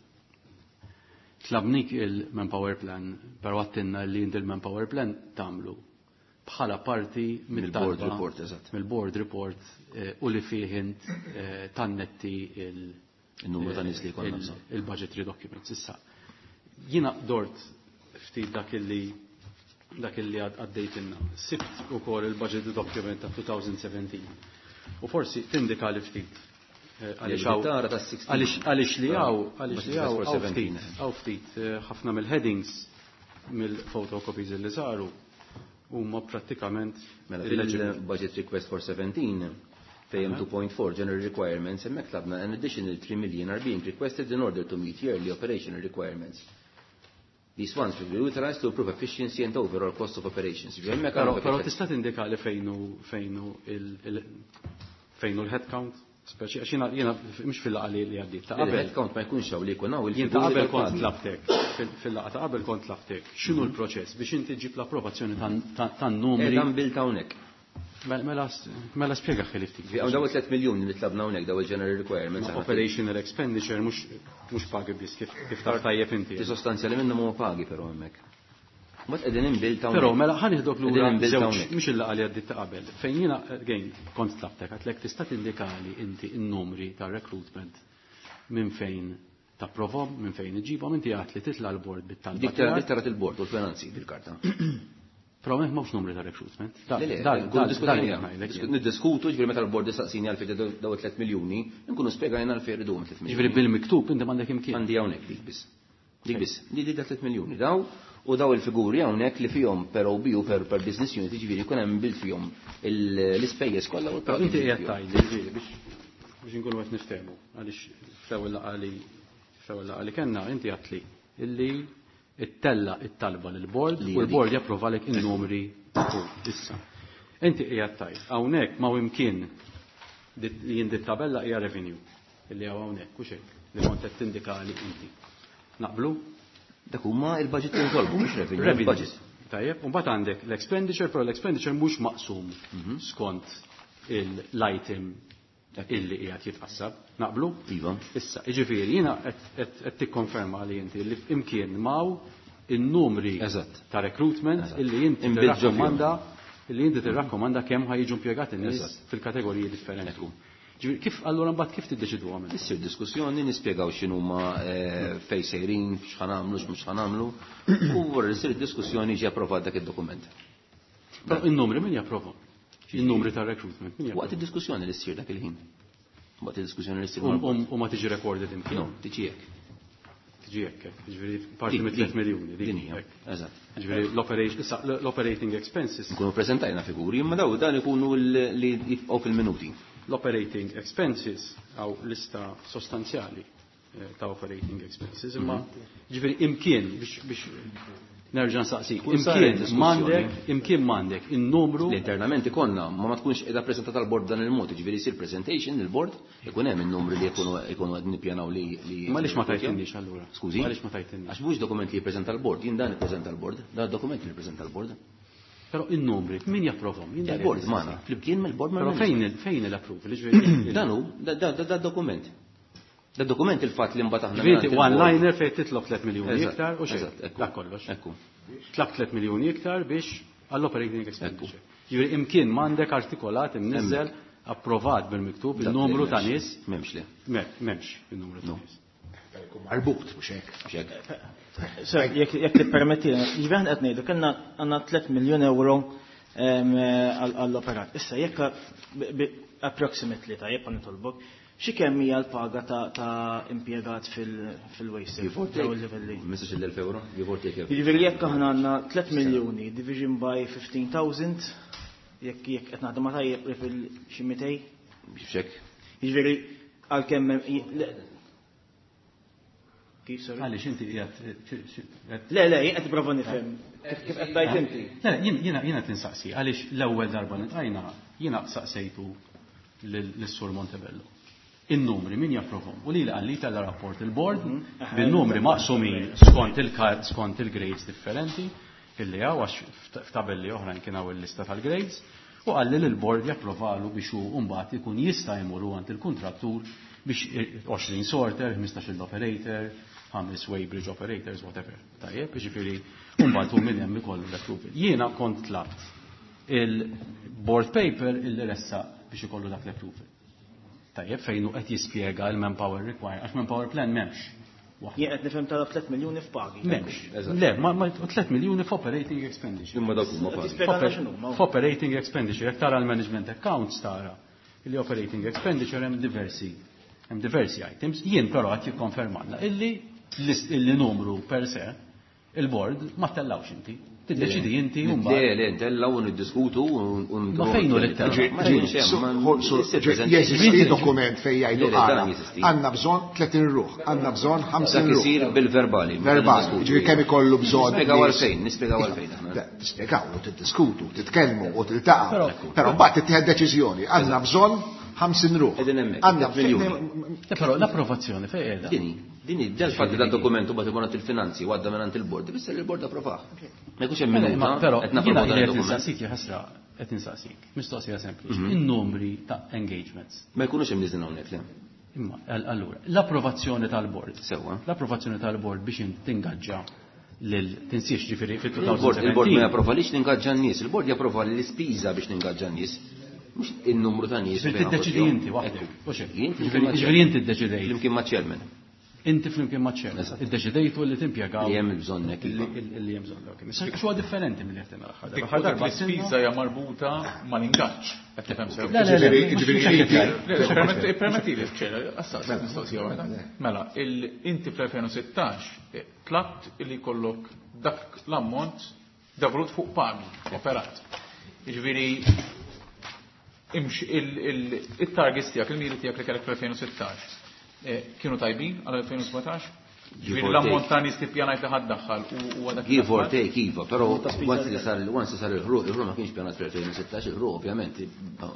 Tlabnik il-Manpower Plan, però għedtilna li inti il-Manpower Plan tagħmlu bħala parti mill-board report, eżatt. Mill-board report u li fih int tannetti il-numru ta' nies li jkollna bżonn. Il-budgetary documents. Issa, jiena dort ftit dak illi għaddejtilna. Sibt ukoll il-budget document ta' 2017. U forsi tindika li ftit. Għaliex li hawn, għaliex li hawn, hawn ftit, ħafna mill-headings mill-photocopies li saru huma prattikament Mela fil-budget request for 17 fejn 2.4 general requirements hemmhekk tlabna an additional 3 million are being requested in order to meet yearly operational requirements. These funds will be utilized to improve efficiency and overall cost of operations. Però tista' tindika li fejnu l-headcount? Speċi, għax jiena mhux fil-laqgħa li għaddiet. Ta' qabel. Il-headcount ma jkunx hawn li jkun hawn Jien ta' qabel kont tlabtek, fil-laqgħa ta' qabel kont tlabtek. X'inhu l-proċess biex inti ġib l-approvazzjoni tan-numri? Dan bil hawnhekk. Mela spjega ħeli ftit. Hawn daw 3 miljuni li tlabna hawnhekk daw il-general requirements. Operational expenditure mhux pagi biss kif taf tajjeb inti. Ti sostanzjali minnhom huma pagi però hemmhekk. Mat qegħdin inbil ta' Però mela ħa nieħdok lura żewġ mhux il-laqgħa li għaddiet ta' qabel. Fejn jiena again kont tlabtek għedtlek tista' tindikali inti n-numri ta' recruitment minn fejn tapprovhom, minn fejn iġibhom, inti għedt li titla' l-board bit-talba. Dik tarat il-board u l-finanzi bil-karta. Però m'hemmx mhux numri ta' recruitment. Niddiskutu ġifieri meta l-board jistaqsini għalfejn daw 3 miljuni, nkunu spjegajna għalfejn irridu 3 miljuni. Ġifieri bil-miktub inti m'għandek imkien. Għandi hawnhekk dik biss. Dik biss. Di di 3 miljuni daw u daw il-figuri hawnhekk li fihom per OBU per business unit ġifieri jkun hemm bil fihom l-ispejjeż kollha u l Inti qiegħed tgħidli ġifieri biex inkunu qed niftehmu għaliex fl-ewwel laqgħa li kellna inti għedtli illi ittella it-talba lill-board u l-board japprovalek in-numri issa. Inti qiegħed tgħid hawnhekk ma imkien li jien tabella hija revenue illi hawn hawnhekk u hekk li kont qed tindikali inti. Naqblu? Dak huma il-budget li nitolbu mhux revenue, budget. Tajjeb, u mbagħad għandek l-expenditure, però l-expenditure mhux maqsum skont l-item illi qiegħed jitqassab. Naqblu? Iva. Issa, jiġifieri jiena qed tikkonferma li inti li imkien maw in-numri ta' recruitment illi inti tirrakkomanda illi inti tirrakkomanda kemm ħa jiġu impjegati nies fil-kategoriji differenti. Ġifieri kif allura mbagħad kif tiddeċidu għamel? Issir diskussjoni nispjegaw x'inhuma fejn sejrin, x'ħa nagħmlu, x'mhux ħa nagħmlu, u wara li ssir diskussjoni ġie approvat dak id-dokument. Però in-numri min japprova? Il-numri ta' recruitment. Waqt id-diskussjoni li ssir dak il-ħin. Waqt id-diskussjoni li ssir. U ma tiġi recorded imkien? No, tiġi hekk. Tiġi hekk, ġifieri parti mit 3 miljuni. Din hija. Eżatt. Ġifieri l-operating expenses. Nkunu preżentajna figuri, imma daw dan ikunu li jibqgħu fil-minuti. L-operating expenses għaw lista sostanzjali ta' operating expenses, imma ġifieri imkien biex nerġa' nsaqsik. Imkien m'għandek, imkien m'għandek in-numru. Internament ikollna, ma ma tkunx qiegħda preżentata l-bord dan il-mod, jiġifieri jsir presentation lill-bord, ikun hemm in-numri li jkunu jkunu qed nippjanaw li li. Ma għaliex ma tajtinniex allura? Skużi? Għaliex ma tajtinniex? Għax mhux dokument li jippreżenta l-bord, jien dan ippreżenta l-bord, dan dokument li jippreżenta l-bord. Però in-numri, min japprovhom? Il-bord magħna, flimkien mill-bord Però fejn fejn l-approval? Jiġifieri Dan hu, da dokument. Da dokument il-fatt li mbagħad aħna. Ġifieri one-liner fejn titlob 3 miljuni iktar u xejn. Dak kollox. Ekku. Tlab 3 miljuni iktar biex għall-operating expenditure. Ġifieri imkien m'għandek artikolat imniżżel approvat bil-miktub il-numru ta' nies. M'hemmx le. M'hemmx il-numru ta' nies. Marbut, mhux hekk. Mhux hekk. Sir, jekk tippermetti, ġifieri aħna qed ngħidu kellna għandna 3 miljun euro għall-operat. Issa jekk approximately tajjeb għan nitolbok, xi kemm hija l-paga ta' impjegat fil-waste? Give or take. 15,000 euro, give or take. Jiġifieri jekk aħna għandna 3 miljuni division by 15,000, jekk jekk qed naħdem ma tajjeb fil xi 200. Biex hekk. Jiġifieri għalkemm Kif, sorry? Għaliex inti qiegħed Le, le, jien qed nipprova nifhem kif qed tgħid inti. Le, jiena jiena tinsaqsi għaliex l-ewwel darba li tqajna jiena saqsejtu lis-Sur Montebello. In-numri min japprovhom? U lili qalli tella' rapport il-board bin-numri maqsumin skont il-kart skont il-grades differenti illi hawn għax f'tabelli oħrajn kien hawn il-lista tal-grades u qalli li l-board japprovalu biex hu mbagħad ikun jista' jmur hu għand il-kuntrattur biex 20 sorter, 15 operator, 5 weighbridge operators, whatever. Tajjeb, jiġifieri u mbagħad hu minn hemm ikollu l-approval. Jiena kont tlabt il-board paper illi ressaq biex ikollu dak l-approval. Tajjeb, fejn hu qed jispjega l-manpower requirement, għax manpower plan m'hemmx. Jien qed nifhem talab 3 miljuni f'pagi. M'hemmx. Le, ma 3 miljuni f'operating expenditure. Imma dawk huma pagi. Tispjega x'inhuma. F'operating expenditure, jekk tara l-management accounts tara li operating expenditure hemm diversi hemm diversi items. Jien però qed jikkonfermanna illi illi numru per se il-board ma tellawx inti. Tiddeċidi inti u mbagħad. Le, le, ntellaw u niddiskutu u Ma fejn hu li tellgħu? Jeżisti dokument fejn jgħidu ara, għandna bżonn 30 ruħ, għandna bżonn 50 Dak ruħ. isir bil-verbali. Verbali, jiġifieri kemm ikollu bżonn. Nispjegaw għalfejn, nispjegaw għalfejn aħna. Tispjegaw u tiddiskutu, titkellmu u tiltaqgħu. Però mbagħad tittieħed deċiżjoni, għandna bżonn 50 ruħ. Qegħdin hemmhekk. Għandna miljuni. Però l-approvazzjoni fejn qiegħda? Dini, dini, dal-fatt li dal-dokument u bagħad ikun għand il-finanzi u għadda minn il-bord, ifisser li l-bord approvah. Ma jkunx hemm minuta, Però qed jiena napprovaw dan qed id-dokument. insaqsik ħasra, qed insaqsik. Mistoqsija sempliċi. In-numri ta' engagements. Ma jkunux hemm niżin hawnhekk, le. Imma allura, l-approvazzjoni tal-bord. Sewwa. L-approvazzjoni tal-bord biex int tingaġġa lil tinsiex ġifieri Il-bord il-bord ma fit-2017. japprovalix ningaġġa n-nies, il-bord japprova l-ispiża biex ningaġġa n-nies. Mhux in-numru ta' nies. Ġifieri tiddeċidi inti waħdek. Mhux hekk. Jien flimkien ma' Ġifieri inti ddeċidejt. Flimkien ma' chairman. Inti flimkien ma' chairman. Iddeċidejtu li timpjegaw. Li hemm il-bżonn hekk. Li hemm bżonn. Ok. Issa x'huwa differenti milli qed l-aħħar darba. Dik L-aħħar darba l-ispiża hija marbuta mal-ingaġġ. Qed tifhem sew. Le, le, le, mhux hekk qed Le, le, Permettili, ċera, assas, mistoqsija waħda. Mela, inti fl-2016 tlabt li jkollok dak l-ammont devolut fuq pagi, operat. Jiġifieri il-targets tiegħek, il-miri tiegħek li kellek fl-2016 kienu tajbin għal 2017? Ġifieri l-ammont ta' nies li ppjanajt li ħadd daħħal u għadak. Give or take, iva, però once li sar once li sar il-ħruq, il-ħruq ma kienx pjanat fl-2016, il-ħruq ovvjament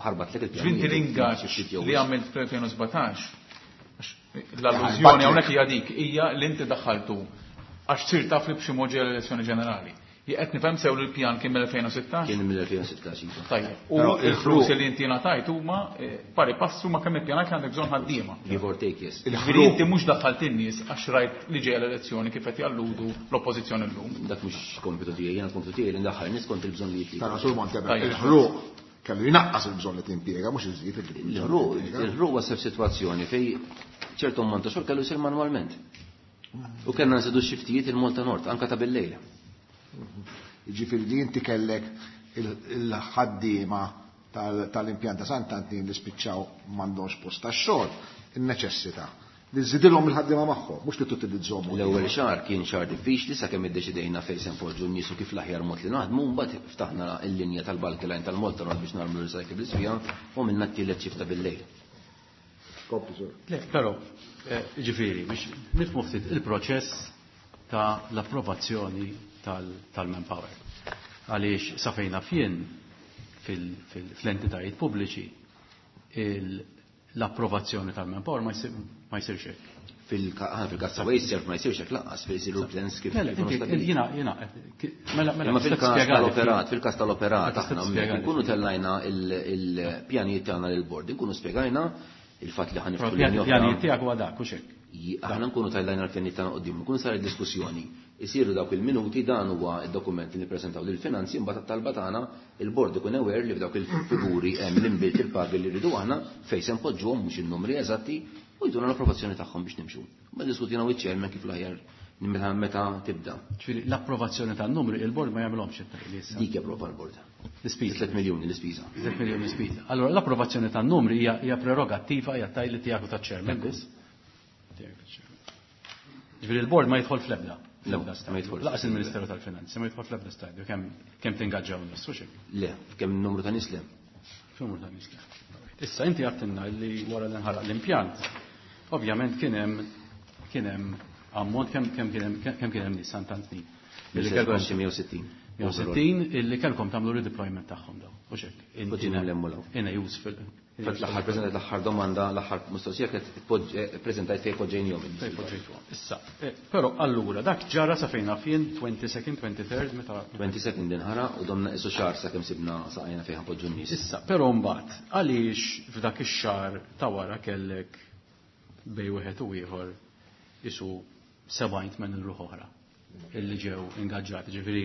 ħarbat lek il-pjan. Ġifieri l-ingaġġ li għamilt fl-2017, l-allużjoni hawnhekk hija dik, hija li inti daħħaltu għax sir taf li b'xi mod ġejja l-elezzjoni ġenerali. Jekk qed nifhem sew li l-pjan kien mill-2016? Kien mill-2016, iva. Tajjeb. U l-flus li inti ngħatajt huma pari passu ma' kemm ippjanajt li għandek bżonn ħaddiema. Give or take, yes. Ġifieri inti mhux daħħalt in-nies għax rajt li ġejja l-elezzjoni kif qed jalludu l-oppożizzjoni llum. Dak mhux kompitu tiegħi, jiena kompitu tiegħi li ndaħħal nies kont il-bżonnijiet li. Tara sur Montebello, il-ħruq kellu jnaqqas il-bżonn li timpjega, mhux iżid il-ħruq. Il-ħruq wasal f'sitwazzjoni fejn ċertu ammont ta' xogħol kellu jsir manwalment. U kellna nżidu x-xiftijiet il-Malta Nord, anka ta' bil-lejl. Jiġifieri li inti kellek il-ħaddiema tal-impjant ta' Sant'Antin li spiċċaw m'għandhomx post tax-xogħol, in-neċessità li żżidilhom il-ħaddiema magħhom, mhux li tutilizzhom. L-ewwel xahar kien xahar diffiċli sakemm iddeċidejna fejn se npoġġu n-nies u kif l-aħjar mod li naħdmu, mbagħad ftaħna l-linja tal-bulky line tal-Malta Road biex nagħmlu recyclables fiha u minna t-tielet xifta bil-lejl. Kompli, sir. Le, però, ġifieri, biex nifhmu ftit il-proċess ta' l-approvazzjoni tal-manpower. Għaliex sa fejn naf jien fl-entitajiet pubbliċi l-approvazzjoni tal-manpower ma jsirx hekk. Fil-każ ta' WasteServ ma jsirx hekk lanqas, fejn isiru plans kif Mela, ikunu inti, stabiliti. jiena, jiena, mela, mela, Imma tista' fil-każ tispjegali tal-operat, ftit. fil-każ tal-operat, Tista' aħna tispjegali nkunu ftit. tellajna il-pjanijiet tagħna lill-bord, inkunu spjegajna il-fatt li ħaniftu Però l-linja oħra. pjanijiet tiegħek huwa dak, hux hekk? Aħna nkunu tellajna l-pjanijiet tagħna quddiem, nkunu saret diskussjoni. Isiru dawk il-minuti, dan huwa d-dokument li nippreżentaw lill-finanzi, imbagħad at-talba tagħna il-bord ikun aware li f'dawk il-figuri hemm l-inbilt il-pagi li rridu aħna fejn se npoġġuhom mhux in-numri eżatti u jduna l-approvazzjoni tagħhom biex nimxu. Ma diskutina u ċ-chairman kif l-aħjar meta tibda. Ġifieri l-approvazzjoni tan-numri il-bord ma jagħmilhomx it-tajli issa. Dik japprova l-bord. L-ispiża. 3 miljuni l-ispiża. 3 miljuni l-ispiża. Allora l-approvazzjoni tan-numri hija prerogattiva, hija tajli tiegħek u taċ-chairman biss. Tiegħek u taċ-chairman. Ġifieri l-bord ma jidħol fl-ebda. No, Fl-ebda stadju. ma jidħolx. Laqas il-Ministeru tal-Finanzi ma jidħol fl-ebda stadju kemm tingaġġaw nies, hux hekk? Le, kemm numru ta' nies le. Numru ta' nies le. Issa inti għattinna li wara li nħaraq l-impjant, ovvjament kien hemm kien hemm ammont kemm kemm kien hemm kemm kien hemm nies Sant'Antnin. Illi Illi kellkom xi 160. 160 illi kellkom tagħmlu redeployment tagħhom daw. Hux hekk? Inti Poġġina l-hemm u l-hawn. In a useful. Fatt l-aħħar preżentajt l-aħħar domanda, l-aħħar mistoqsija kienet preżentajt fejn poġġejnihom in-nies. Fejn poġġejtuhom. Issa, però allura dak ġara sa fejn naf jien 22nd, 23rd meta 22nd din ħara u domna qisu xahar sakemm sibna saqajna fejn ħanpoġġu n-nies. Issa, però mbagħad għaliex f'dak ix-xahar ta' wara kellek bej wieħed u ieħor isu sebgħin tmien ruħ oħra illi ġew ingaġġati. Ġifieri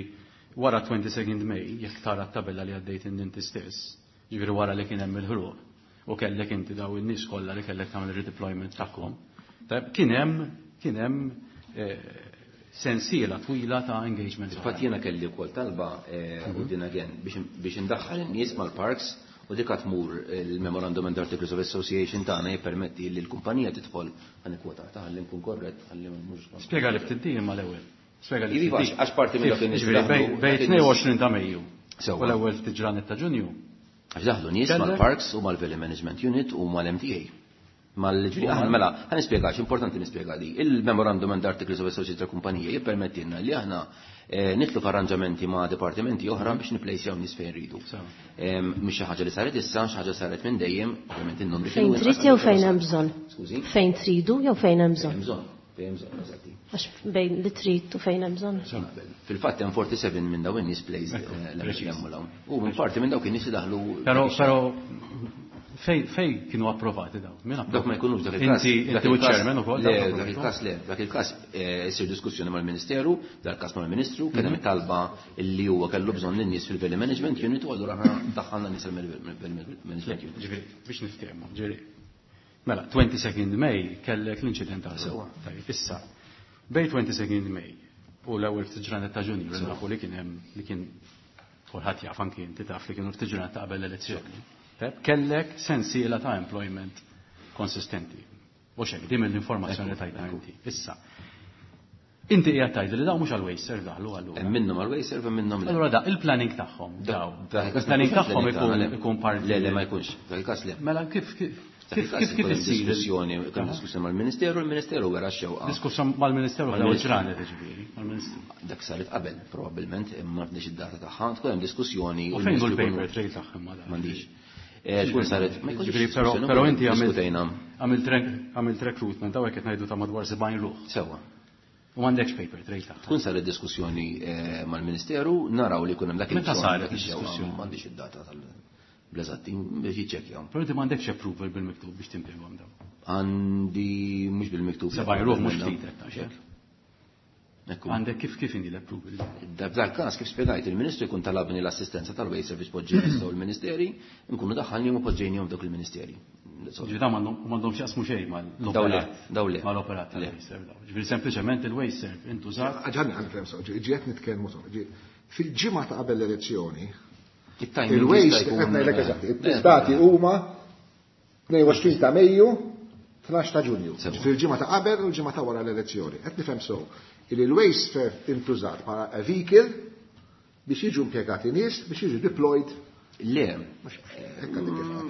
wara 22nd May, jekk tara t-tabella li għaddejt inti stess, ġifieri wara li kien hemm il-ħruq u kellek inti daw in-nies kollha li kellek tagħmel redeployment tagħhom. Tajb, kien hemm kien hemm sensiela twila ta' engagement. Infatti jiena kelli wkoll talba u din again biex indaħħal in-nies mal-parks u dik tmur il-Memorandum and Articles of Association tagħna jippermetti li l-kumpanija tidħol għan kwota ta' ħalli nkun korrett, ħalli mhux Spjega li ftit din mal-ewwel. Spjega li Iva, ftit din. għax parti minn dak in-nies Ġifieri, daħlu, bej dak in-nies 22 ta' Mejju. Sewwa. U l-ewwel ftit ġranet ta' Ġunju. Għax daħlu nies Kellek? mal-parks u mal-Valley Management Unit u mal-MTA. Mal-ġiri, aħna mela, ħa nispjega, importanti nispjega di. Il-Memorandum and Articles of Association tal-Kumpanija jippermettilna li aħna nitlu f'arranġamenti ma' dipartimenti oħra biex niplejsjaw nies fejn rridu. Mhix xi ħaġa li saret issa, xi ħaġa saret minn dejjem, ovvjament in-numri Fejn kienu trid inqas jew qabel fejn issa. hemm bżonn? Skużi? Fejn tridu jew fejn hemm bżonn? Fejn hemm bżonn, fejn hemm bżonn, eżatti. Għax bejn li trid u fejn hemm bżonn. Fil-fatt hemm 47 minn dawn in-nies placed, Ekku, l-hemm preċiż. hemm u l-hawn. U minn parti minn dawk in-nies li daħlu Però, biex- però fej kienu approvati daw? Min approvati? Dak ma jkunux dak il-każ. Inti, Dak inti u il-każ- chairman ukoll, Le, dak dak approvati? il-każ le, dak il-każ isir diskussjoni mal-Ministeru, dak il-każ mal-Ministru, kien hemm talba li huwa kellu bżonn lin-nies fil-Valley Management Unit u allura aħna daħħalna nies fil-Valley Management Unit. Ġifieri, biex niftehmu, ġifieri. Mela, 22nd May kellek l-inċident ta' Sewwa. Tajjeb, issa, bej 22nd May u l-ewwel ftit ġranet ta' Ġunju, Sewwa. nafu li kien hemm li kien kulħadd jaf anki inti taf li kienu ftit ġranet ta' qabel l-elezzjoni. Tajjeb, kellek sensiela ta' employment konsistenti. U xek, din mill-informazzjoni Ekku, tajtna ekku. inti. Issa, inti qiegħed tgħid li daw mhux għal WasteServ daħlu allura. Hemm minnhom għal WasteServ hemm minnhom le. Allura da, il-planning tagħhom, daw. Dak il-każ Il-planning ma jkunx tagħhom planning tagħna, le. ikun parti. Le, le, ma jkunx. Dak il-każ le. Mela kif kif Dak kif il-każ kif kif ikun hemm issir diskussjoni, ikun hemm diskussjoni mal-Ministeru, il-Ministeru wera x-xewqa. Diskussjoni mal-Ministeru fl-ewwel Mal-Ministeru. ġranet, ġifieri, mal-Ministeru. Dak saret qabel, probabbilment, imma m'għandix id-data tagħha, tkun hemm diskussjoni U u fejn hu l-Ministru l-paper jkunu- trail tagħhom ma dan? M'għandix. Tkun saret, ma jkunx Ġifieri, diskussjoni, però inti diskutejna. għamilt recruitment, hawnhekk qed ngħidu ta' madwar 70 ruħ. Sewwa. U m'għandekx paper trail tagħha. Tkun saret diskussjoni mal-Ministeru, naraw li jkun hemm dak Meta il-bżonn, saret dak ix-xewqa, id-diskussjoni? M'għandix id-data tal-bleżatti biex jiċċekkjaw. Però inti m'għandekx approval bil-miktub biex timpjegahom dawn. Għandi mhux bil-miktub. 70 ruħ mhux ftit qed tgħid. Ekku. Għandek kif inhi l-approval? F'dal każ kif spjegajt, il-Ministru jkun talabni l-assistenza tal-Waste Service poġġejni sew il-Ministeri, nkunu daħħalni u poġġejnihom dawk il-Ministeri. That's all. Ġifieri dawn m'għandhomx jaqsmu xejn mal-operat. Daw le, daw le. Mal-operat Le. tal-WasteServ daw. Ġifieri sempliċement il-WasteServ intużat. Ġanni, għan nifhem sew, ġiet nitkellmu sew. Fil-ġimgħa ta' qabel l-elezzjoni, Il-waste, qed ngħidlek eżatt, id-dati huma 22 ta' Mejju, 12 ta' Ġunju. Fil-ġimgħa ta' qabel u l-ġimgħa ta' wara l-elezzjoni. Qed nifhem sew illi l-waste intużat bħala a vehicle biex jiġu impjegati nies biex jiġu deployed. Le.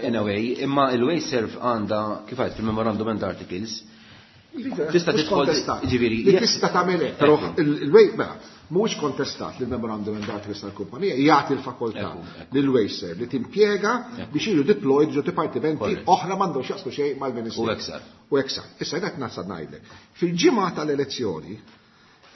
In a way, imma il-WasteServ għandha, kif għedt fil-Memorandum and Articles, tista' tidħol, ġifieri. Li tista' tagħmel hekk, però il-Waste, mela, mhuwiex kontestat li l-Memorandum and Articles tal-kumpanija jagħti l-fakoltà lil WasteServ li timpjega biex jiġu deployed ġo dipartimenti oħra m'għandhom x'jaqsmu xejn mal-Ministeru. U hekk sar. U hekk sar. Issa qed nasal ngħidlek. Fil-ġimgħa tal-elezzjoni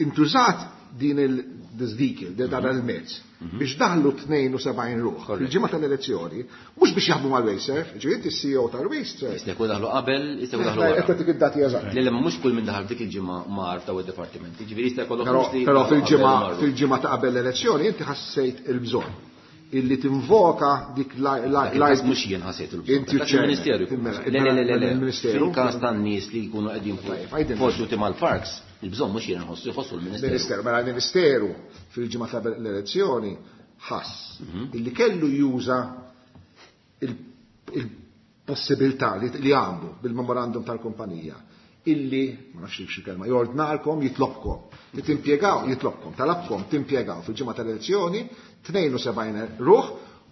intużat din il-this vehicle, dan il-mezz, biex daħlu 72 ruħ. Fil-ġimgħa tal-elezzjoni, mhux biex jaħdmu mal-WasteServ, ġifieri inti CEO tal-WasteServ. Jista' jkun daħlu qabel, jista' jkun daħlu wara. Qed tagħtik id-dati eżatt. Le, le, ma mhux kull min daħal dik il-ġimgħa mar f'daw id-dipartimenti, ġifieri jista' jkollok Però nies li però daħlu qabel marru. fil-ġimgħa ta' qabel l-elezzjoni inti ħassejt il-bżonn illi tinvoka dik la, la, Dak la, il-każ mhux jien ħassejt il-bżonn. Inti Dak ċermen. il-Ministeru jkun Mela, ħassejt. Le, le, le, le, le. il-Ministeru. Fil-każ tan-nies li jkunu qegħdin fuq Tajjeb, għajdilna. forsi mal-parks, il-bżonn mhux jien nħossu, jħossu l-Ministeru. Ministeru, mela l-Ministeru fil-ġimgħa ta' l-elezzjoni ħass illi kellu juża il-possibilità li għandu bil-memorandum tal-kumpanija illi, ma nafx xi kelma, jordnalkom, jitlobkom, li timpjegaw, jitlobkom, talabkom, timpjegaw fil-ġimgħa tal-elezzjoni 72 ruħ,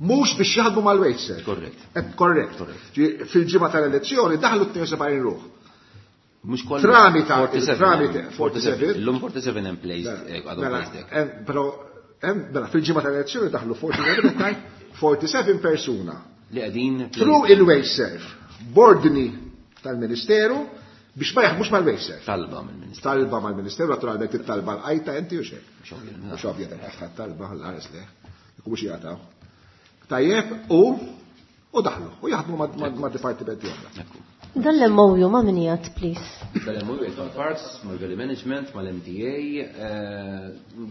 mhux biex jaħdmu mal-WasteServ. Korrett. Korrett. Korrett. Ġi, fil-ġimgħa tal-elezzjoni daħlu 72 ruħ. Mhux kollha. Tramite, 47. tramite, 47. Illum 47 hemm placed, għadhom Mela, placed hekk. però, mela, fil-ġimgħa tal-elezzjoni daħlu 47, 47 persuna. Li qegħdin Through il-WasteServ, bordni tal-Ministeru biex ma jaħdmux mal-WasteServ. Talba mill-Ministeru. Talba mal-Ministeru, naturalment it-talba l-qajta inti u xejn. Mhux ovvja, Mhux ovvja tal-aħħar talba ħalla ħares le. Jekk mhux jagħtaw. Tajjeb, u daħlu, u jaħdmu ma' dipartimenti oħra. Ekku. Dan l-MOU ma' min jgħid, please? Dan l-MOU jgħid mal-Parks, mal-Value Management, mal-MTA,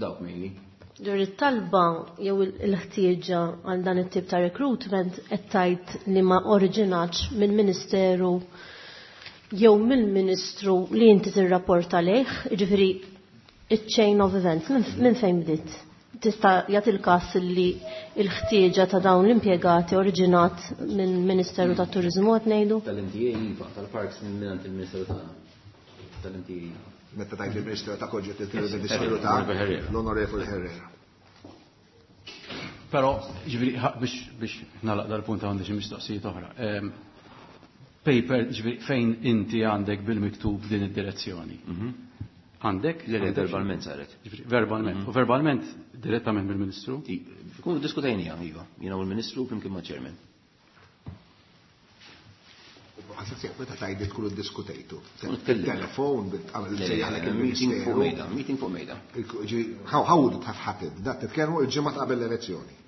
dawk mainly. Dwar it-talba jew il-ħtieġa għal dan it-tip ta' recruitment qed tgħid li ma oriġinatx mill-Ministeru jew mill-Ministru li inti tirrapporta lejh, jiġifieri iċ-chain of events minn fejn bdiet? Tista' jagħti l-każ li l-ħtieġa ta' dawn l-impjegati oriġinat mill-Ministeru tat-Turiżmu qed ngħidu? Tal-MTA iva, tal-Parks minn mingħand il-Ministeru tagħna. Tal-MTA iva. Meta tgħid il-Ministeru ta' Koġġet, il-Ministeru ta' Onorevoli Herrera. l-Onorevoli Herrera. Però, ġifieri, biex nagħlaq dal-punt għandi xi mistoqsijiet oħra. Paper, ġifieri, fejn inti għandek bil-miktub din id-direzzjoni? Għandek? Le, le, Għandek xi- verbalment saret. Ġifieri, verbalment. U verbalment direttament mill-Ministru? Kunu diskutajnija, iva. Jiena u l-Ministru flimkien ma' Chairman. Għasas jek, meta tgħid tkunu ddiskutejtu. Tkunu tkellimna. Telefon, għamel Le, le, sejjaħlek le, meeting fuq il-Ministeru. mejda, meeting fuq mejda. How would it have happened? Dat titkellmu il-ġimgħa ta' qabel l-elezzjoni.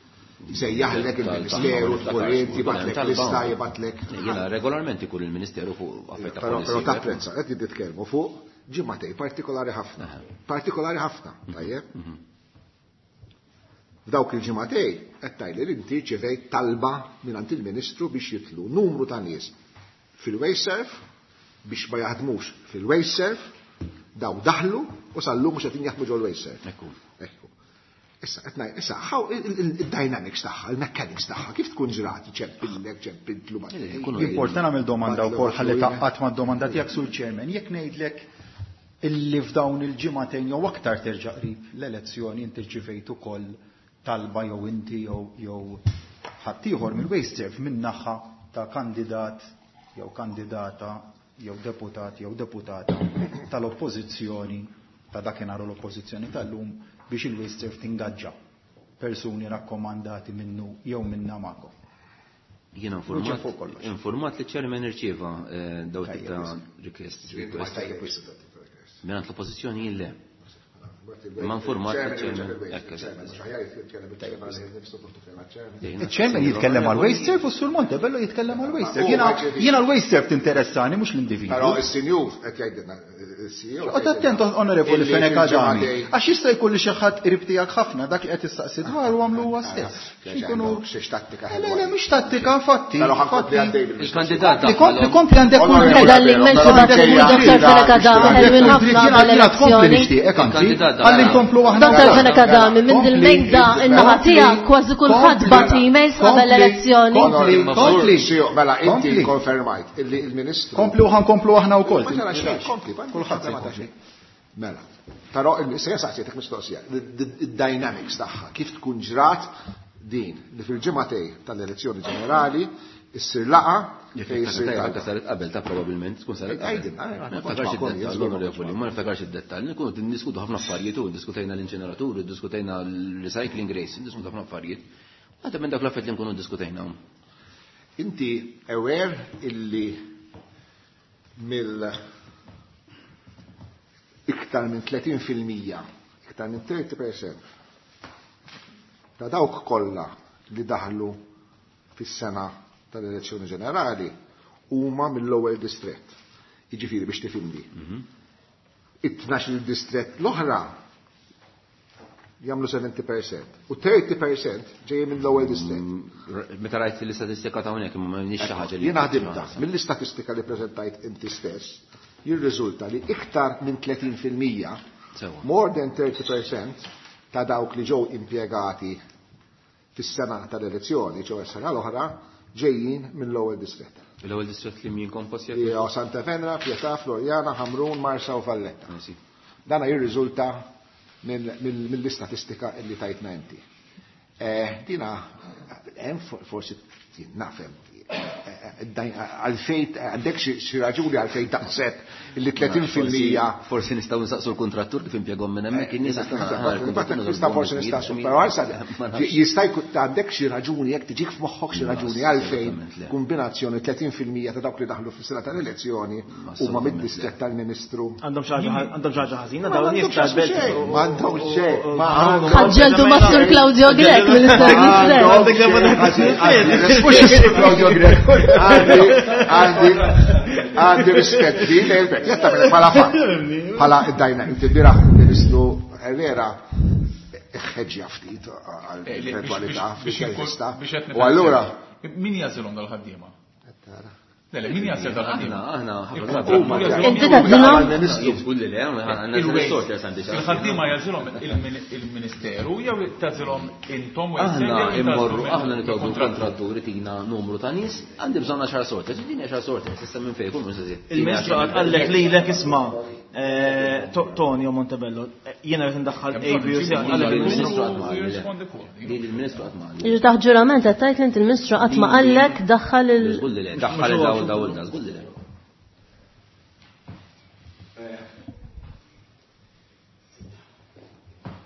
Sejjaħlek il-Ministeru, tkun inti, jibatlek lista, jibatlek. Jiena regolarment ikun il-Ministeru fuq affarijiet ta' Però policy. però tapprezza, qed titkellmu fuq ġimgħatej partikolari ħafna. Partikolari ħafna, tajjeb? F'dawk il-ġimgħatej qed tgħidli li inti ċevejt talba mingħand il-Ministru biex jitlu numru ta' nies fil-WasteServ biex ma jaħdmux fil-WasteServ, daw daħlu u sal-lum mhux qed jaħdmu ġol WasteServ. Ekku. Ekku. Issa, qed ngħid, issa, how il-dynamics tagħha, il-mechanics tagħha, kif tkun ġrat, ċempillek, ċempiltlu ma' Le, le, Importa nagħmel domanda wkoll ħalli Batlu, taqqat mad-domanda tiegħek sur Chairman. Jekk ngħidlek illi f'dawn il-ġimagħtejn jew aktar terġa' qrib l-elezzjoni inti rċivejt ukoll talba jew inti jew ħaddieħor mill-WasteServ minn naħa ta' kandidat jew kandidata jew deputat jew deputata tal-oppożizzjoni ta' dakinhar u l-oppożizzjoni tal-lum biex il-WasteServ tingaġġa persuni rakkomandati minnu jew minna magħkom. Jiena Luċa fuq kollox. informat li ċ-chairman irċieva daw tip ta' Tajjeb, request. Ġifieri, ma tajjeb wisq dat tip ta' request. Mingħand l-oppożizzjoni jien le. Ma informat Chairman, il-chairman. chairman, Ekk, eżatt, chairman, eżatt. xaħjar jitkellem il-chairman, nifsu fuq il-chairman. Il-chairman jitkellem għal WasteServ u s-Sur Montebello jitkellem għal WasteServ. Ma- Jiena l-WasteServ tinteressani mhux l-individwu. Però il-sinjur qed jgħidilna Il-CEO. Oqgħod attent Onorevoli Fenech Adami, għax jista' jkun li xi ħadd qrib tiegħek ħafna dak li qed issaqsi dwaru għamlu huwa stess. Inkunu Xiex tattika. Le, le, mhix tattika, fatti. Però ħa nkompli għaddej Il-kandidat Li kompli għandek kull Anke dritt. dalli menxu Għandek kull Dr. dritt. Fenech Adami, Għandek ħelwin kull ħafna dritt. Jiena qabel jiena tkompli l-elezzjoni. nixtieqek anzi. Il-kandidat Ħalli nkomplu aħna. Dr. Fenech Adami, minn dil-mejda in-naħa tiegħek kważi kulħadd bagħat emails qabel l-elezzjoni. Kompli, kompli. CEO, mela inti Kompli. konfermajt illi il-Ministru. Kompli u ħankomplu aħna wkoll. Ma ġara xejn, kompli, Kulħadd se ma ta' jkompli. xejn. Mela, però issa saqsietek mistoqsija, id-dynamics tagħha, kif tkun ġrat din li fil-ġimgħatej tal-elezzjoni ġenerali issir laqa fejn issir Anka talba. saret qabel ta' probabbilment tkun saret qabel. Għajdin, Ma għajdin, niftakarx ma id-dettall, kontx onorevoli, ma niftakarx id-dettall. Nkunu niddiskutu ħafna affarijiet u diskutejna l-inċeneratur, diskutejna l-recycling race, diskutu ħafna affarijiet. Għadha minn dak l-affarijiet li nkunu diskutejna. Inti aware illi mill iktar minn 30%, iktar minn 30% ta' dawk kollha li daħlu fis-sena tal-elezzjoni ġenerali huma mill-ewwel distrett. Jiġifieri biex tifhimni. It-12 il-distrett l-oħra jagħmlu 70% u 30% ġejjin mill-ewwel distrett. Meta rajt l-istatistika ta' hawnhekk imma m'għandix xi ħaġa li. Jiena ħdimta mill-istatistika li preżentajt inti stess, jirriżulta li iktar minn 30% Sewa. more than 30% ta' dawk li ġew impjegati fis-sena tal-elezzjoni, ġew is-sena l-oħra, ġejjin mill-ewwel distrett. L-ewwel distrett li min kompost jekk. Jew Santa Venera, Pietà, Floriana, Ħamrun, Marsa u Valletta. Dana jirriżulta mill-istatistika illi tajtna inti. Dina, hemm forsi nafhem għalfejn għandek xi raġuni għalfejn daqshekk illi 30% Forsi nistgħu nsaqsu l-kontrattur kif impjegahom minn hemmhekk in-nies Nista' forsi nistaqsu, però għalsa jista' jkun għandek xi raġuni jekk tiġik f'moħħok xi raġuni għalfejn kombinazzjoni 30% ta' dawk li daħlu fis-sena tal-elezzjoni huma mid-distrett tal-Ministru. Għandhom xi ħaġa ħażina Ma dawn nies għandhomx tal-belt. xejn, ma għandhomx xejn, ma għandhomx Ħaġġeltu ma' Sur Claudio Grech mill-istess distrett. Mux jisir Claudio Grech. Għandi rispett li l-bek. Jetta minn bħala fatt. Bħala id-dajna, inti bieraħ il-Ministru Herrera ħeġġja ftit għal-eventualità fil-intervista. U allura. Min jażilhom dal-ħaddiema? Le, le, min jażil dal-ħaddiema? Aħna, Inti tażilhom? Żgur li le, għandna sorters għandi xi. Il-ħaddiema jażilhom il-Ministeru jew tażilhom intom u Aħna immorru, aħna nitolbu l-kontratturi tina numru ta' nies, għandi bżonn 10 sorters, ġini 10 sorters, issa minn fejn kun mhux Il-Ministru qallek lilek isma' Tonio Montebello, jiena qed indaħħal A, B u C. Qallek il-Ministru qatt ma qalli. Din il-Ministru qatt ma qalli. Jiġu taħt ġurament qed tgħid li inti il-Ministru qatt ma qallek daħħal il- Żgur li le, daħħal daw daw daw, żgur li le.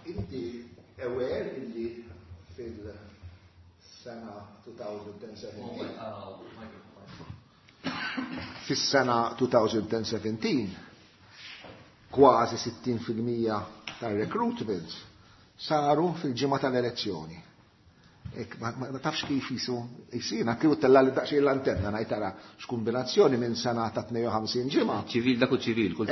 Inti aware illi fil-sena 2017 fis-sena 2017 kważi 60% tar-recruitments saru fil-ġimgħa tal-elezzjoni. Ek, ma tafx kif jisu, jisina, kif tella li daqsxejn l-antenna, ngħid tara x'kombinazzjoni minn sena ta' 52 ġimgħa. Ċivil dak u ċivil, kull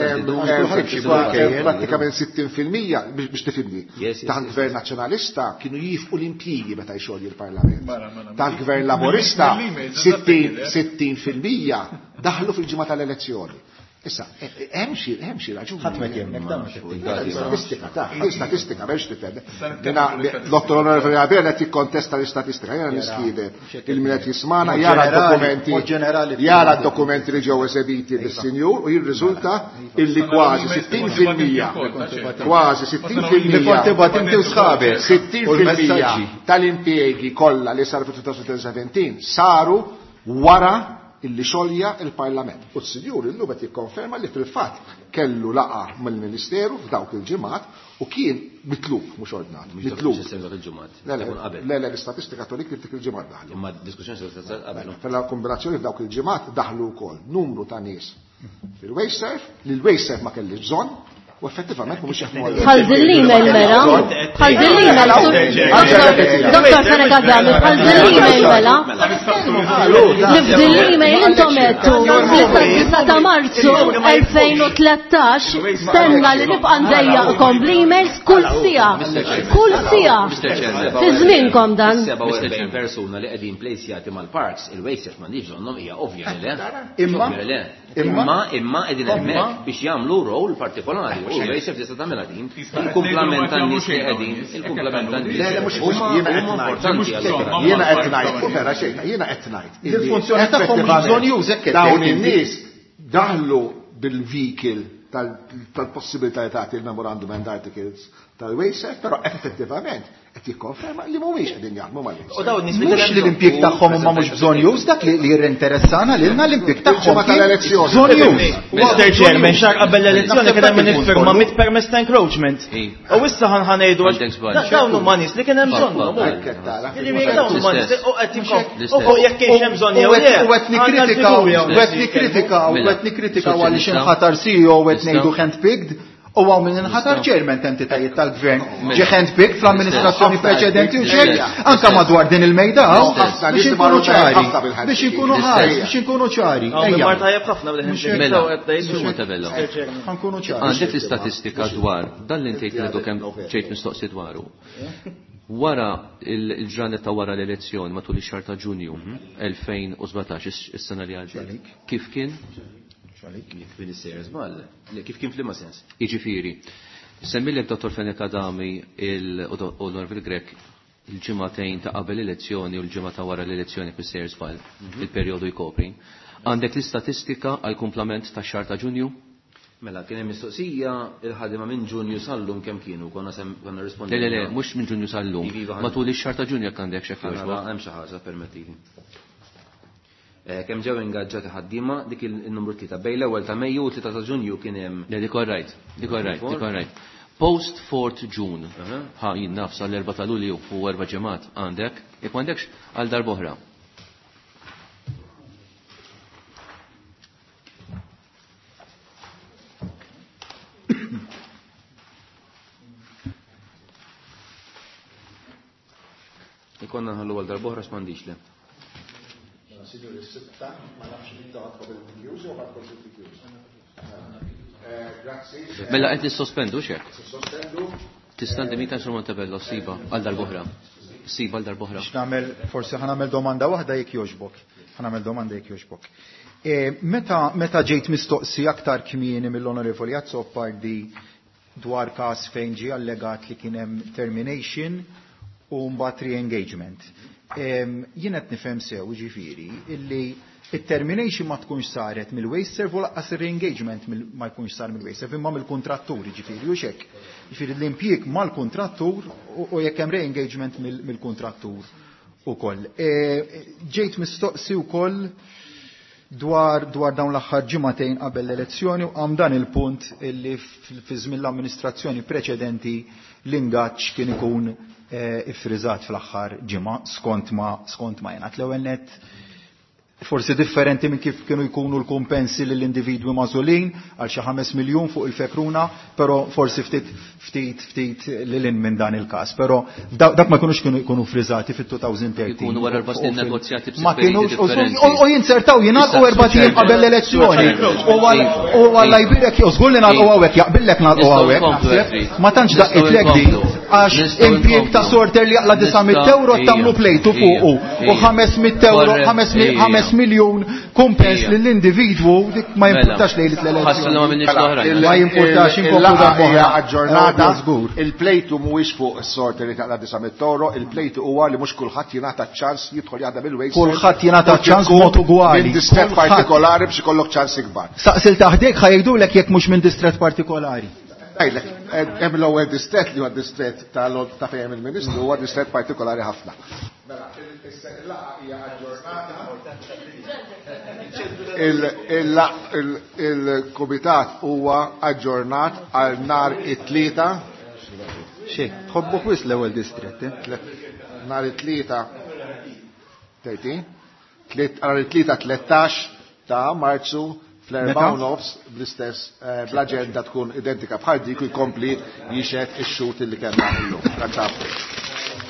Prattikament 60% biex tifhimni. Yes, yes, Taħt yes. gvern nazzjonalista kienu jifqu l-impjigi meta jxogħli l-Parlament. Mela, mela, Taħt gvern laborista mill-emails, 60% daħlu fil-ġimgħa tal-elezzjoni. Issa, hemm xi hemm xi raġuni. Ħadd ma jkellmek, dan ma Mela, Statistika, ta' statistika, biex tifhem. Dina Dottor Onorevoli Abela qed jikkontesta l-istatistika, jiena niskide il-min qed jismana Mod jara ġenerali, d-dokumenti mod ġenerali jara d-dokumenti li ġew esebiti bis-sinjur u jirriżulta illi kważi 60% kważi 60% Li kont tibgħat inti u sħabek. U 60% l-messaġġi. tal-impjegi kollha li saru fil-2017 saru wara illi xolja il-Parlament. U s-sinjur illum qed jikkonferma li fil-fatt kellu laqa mill-Ministeru f'dawk il-ġimgħat u kien mitlub, mhux ordnat, mitlub. Mhux dak il-ġimgħat. Le, le, Ikun qabel. le, le, l-istatistika tolik li f'dik il-ġimgħat daħlu. Imma diskussjoni se sar qabel. Fella kombinazzjoni f'dawk il-ġimgħat daħlu wkoll numru ta' nies fil-WasteServ, li l-WasteServ ma kellix bżonn, U effettivament mhumiex jaħdmu għal. Bħal din l-email mela, bħal din l-email, Dottor Fenech Adami, bħal din l-email mela. Li f'din l-email intom għedtu li sad-9 ta' Marzu 2013 stenna li nibqa' ndejjaqkom bl-emails kull siegħa. Kull siegħa. Fi żmienkom dan. 47 persuna li qegħdin plejsjati mal-parks, il-waste m'għandix bżonnhom hija ovvja li le. Imma Imma imma qegħdin hemmhekk biex jagħmlu role partikolari. U l-WasteServ tista' tagħmilha din. Il-kumplament tan-nies li qegħdin, il-kumplament tan-nies. Le, le, mhux jiena qed ngħid. Jiena qed ngħid, vera xejn, jiena qed ngħid. Il-funzjoni tagħhom mhux bżonjuż hekk qed Dawn tgħid inti. in-nies daħlu bil-vehicle tal-possibilità li tagħti il-memorandum and articles tal-WasteServ, però effettivament qed jikkonferma li mhumiex qegħdin jaħdmu mal-WasteServ. U dawn nies li Mhux li l-impjieg tagħhom huma mhux bżonjuż, dak li jirrinteressana lilna l-impjieg tagħhom Il-ġimgħa tal-elezzjoni. bżonjuż. Mr. Chairman, xahar qabel l-elezzjoni kien hemm min Naħseb dak iffirma il-punt mit permess ta' encroachment. U issa ħan ħanejdu għax Għandek żball. dawn huma nies li kien hemm bżonnhom. Hekk tara. Jiġifieri dawn huma nies li u qed jinkom. L-istess. U jekk kienx hemm bżonn jew le. U qed nikkritikaw, u qed nikkritikaw, u qed nikkritikaw għaliex inħatar CEO u qed ngħidu handpicked u hawn min inħatar chairman t'entitajiet tal-gvern ġie handpicked fl-amministrazzjoni preċedenti u xejn anke madwar din il-mejda hawn Ħafna biex nies inkunu marru ċari, ħafna bil-handpicking. biex inkunu ħari, biex inkunu ċari. Hawn Ejja, mar tajjeb ħafna bil-handpicked. Mela, u qed tgħid. Sur Montebello. Mr. Chairman. ħankunu ċari. Għandek l-istatistika dwar dan li intejt li kemm ġejt mistoqsi dwaru. Wara il-ġranet ta' wara l-elezzjoni matul ix-xahar ta' Ġunju 2017 is-sena li għaddiet. Kif kien? Jekk min issejjer żball, le kif kien f'liema sens? Jiġifieri, semmilek Dottor Fenech Adami u Norville Grech il-ġimagħtejn ta' qabel l-elezzjoni u l-ġimgħa ta' wara l-elezzjoni fis sejjer żball, il-perjodu jkopri. Għandek l-istatistika għal kumplament tax-xahar ta' Ġunju? Mela, kien hemm mistoqsija il-ħadima minn Ġunju sal-lum kemm kienu, konna sem konna Le, rispondejna. le, le, mhux minn Ġunju sal-lum. Iva, iva, Matul ix-xahar ta' Ġunju jekk għandek x'hekk Ħanara, jogħġbok. hemm xi ħaġa permettili. Kemm ġew ingaġġati ħaddiema dik il-numru 3 bejn l-ewwel ta' Mejju u 3 ta' Ġunju kien hemm Le, dik all right, dik all right, dik all right. Post 4th June, ħa jien naf sal-4 ta' Lulju u erba' ġimgħat għandek, jekk m'għandekx għal darb'oħra. Ikonna nħallu għal darb'oħra x'm'għandix le. Signori, sitta, ma nafx inta għadkom il-PQs jew għadkom il-PQs. Grazzi. Mela qed nissospendu x'hekk. Sospendu. Tista' ndimita Sur Montebello siba għal darb'oħra. Siba għal darb'oħra. Biex nagħmel forsi ħa nagħmel domanda waħda jekk jogħġbok. Ħa nagħmel domanda jekk jogħġbok. Meta meta ġejt mistoqsi aktar kmieni mill-Onorevoli Azzopardi dwar każ fejn ġie allegat li kien hemm termination u mbagħad re-engagement. Jien qed nifhem sew ġifieri illi it-termination ma tkunx saret mill-WasteServ u lanqas ir-re-engagement ma jkunx sar mill-WasteServ imma mill-kuntrattur ġifieri u x'hekk. Ġifieri l-impjieg mal-kuntrattur u jekk hemm re-engagement mill-kuntrattur ukoll. Ġejt mistoqsi wkoll dwar dawn l-aħħar ġimagħtejn qabel l-elezzjoni u qam dan il-punt illi fi żmien l-amministrazzjoni preċedenti l-ingaġġ kien ikun iffriżat fl-aħħar ġimgħa skont ma jingħad. L-ewwel nett forsi differenti minn kif kienu jkunu l-kumpensi lill-individwi magħżulin għal xi 5 miljun fuq il-fekruna, però forsi ftit ftit ftit lil hinn minn dan il-każ. Però dak ma kinux kienu jkunu friżati fit-2013. Ikunu wara erba' snin negozjati Ma b'sifrejn kinux, differenti. u jinsertaw jingħalqu Issa, erba' tiem Chairman, qabel l-elezzjoni. Chairman, U għalla jbirek jew żgur li nagħlqu hawnhekk, jaqbillek nagħlqu Nistgħu hawnhekk, nkomplu, naħseb. Edri. Ma tantx Nistgħu daqqitlek din, nkomplu. għax Nistgħu impjieg ta' nkomplu. sorter li jaqla 900 euro Nistgħu- tagħmlu plejtu Ija, fuqu. U ija. 500 euro, Korrett, ija. 5 miljun kumpens Ija. lill-individwu, dik ma Mela. jimpurtax lejlet l-elezzjoni. Ħassu li ma minniex l-oħrajn. Ma jimpurtax inkomplu Il-laqgħa darb'oħra. hija aġġornata. Eh, żgur. Il-plejtu mhuwiex fuq is-sorter li taqla 900 euro, il-plejtu huwa li mhux kulħadd jingħata ċans jidħol jaħdem il-waste. Kulħadd jingħata ċans b'mod ugwali. Minn distret Kulħadd. partikolari biex ikollok ċans ikbar. Saqsil taħdek ħajdulek jekk mhux minn distret partikolari. Ngħidlek, hemm l-ewwel distret li huwa distret ta' fejn il-Ministru huwa distret partikolari ħafna. Mela, il-laqgħa hija aġġornata. Il-kumitat huwa aġġornat għal nhar it-tlieta. Xi, tħobbu wisq l-ewwel distret, eh? Nhar it-tlieta 30, nhar it-tlieta 13 ta' Marzu Fl-4:30 bl-istess eh, bl-aġenda tkun identika bħal dik u jkompli jixhed ix-xhud li kellna llum. Grazzi.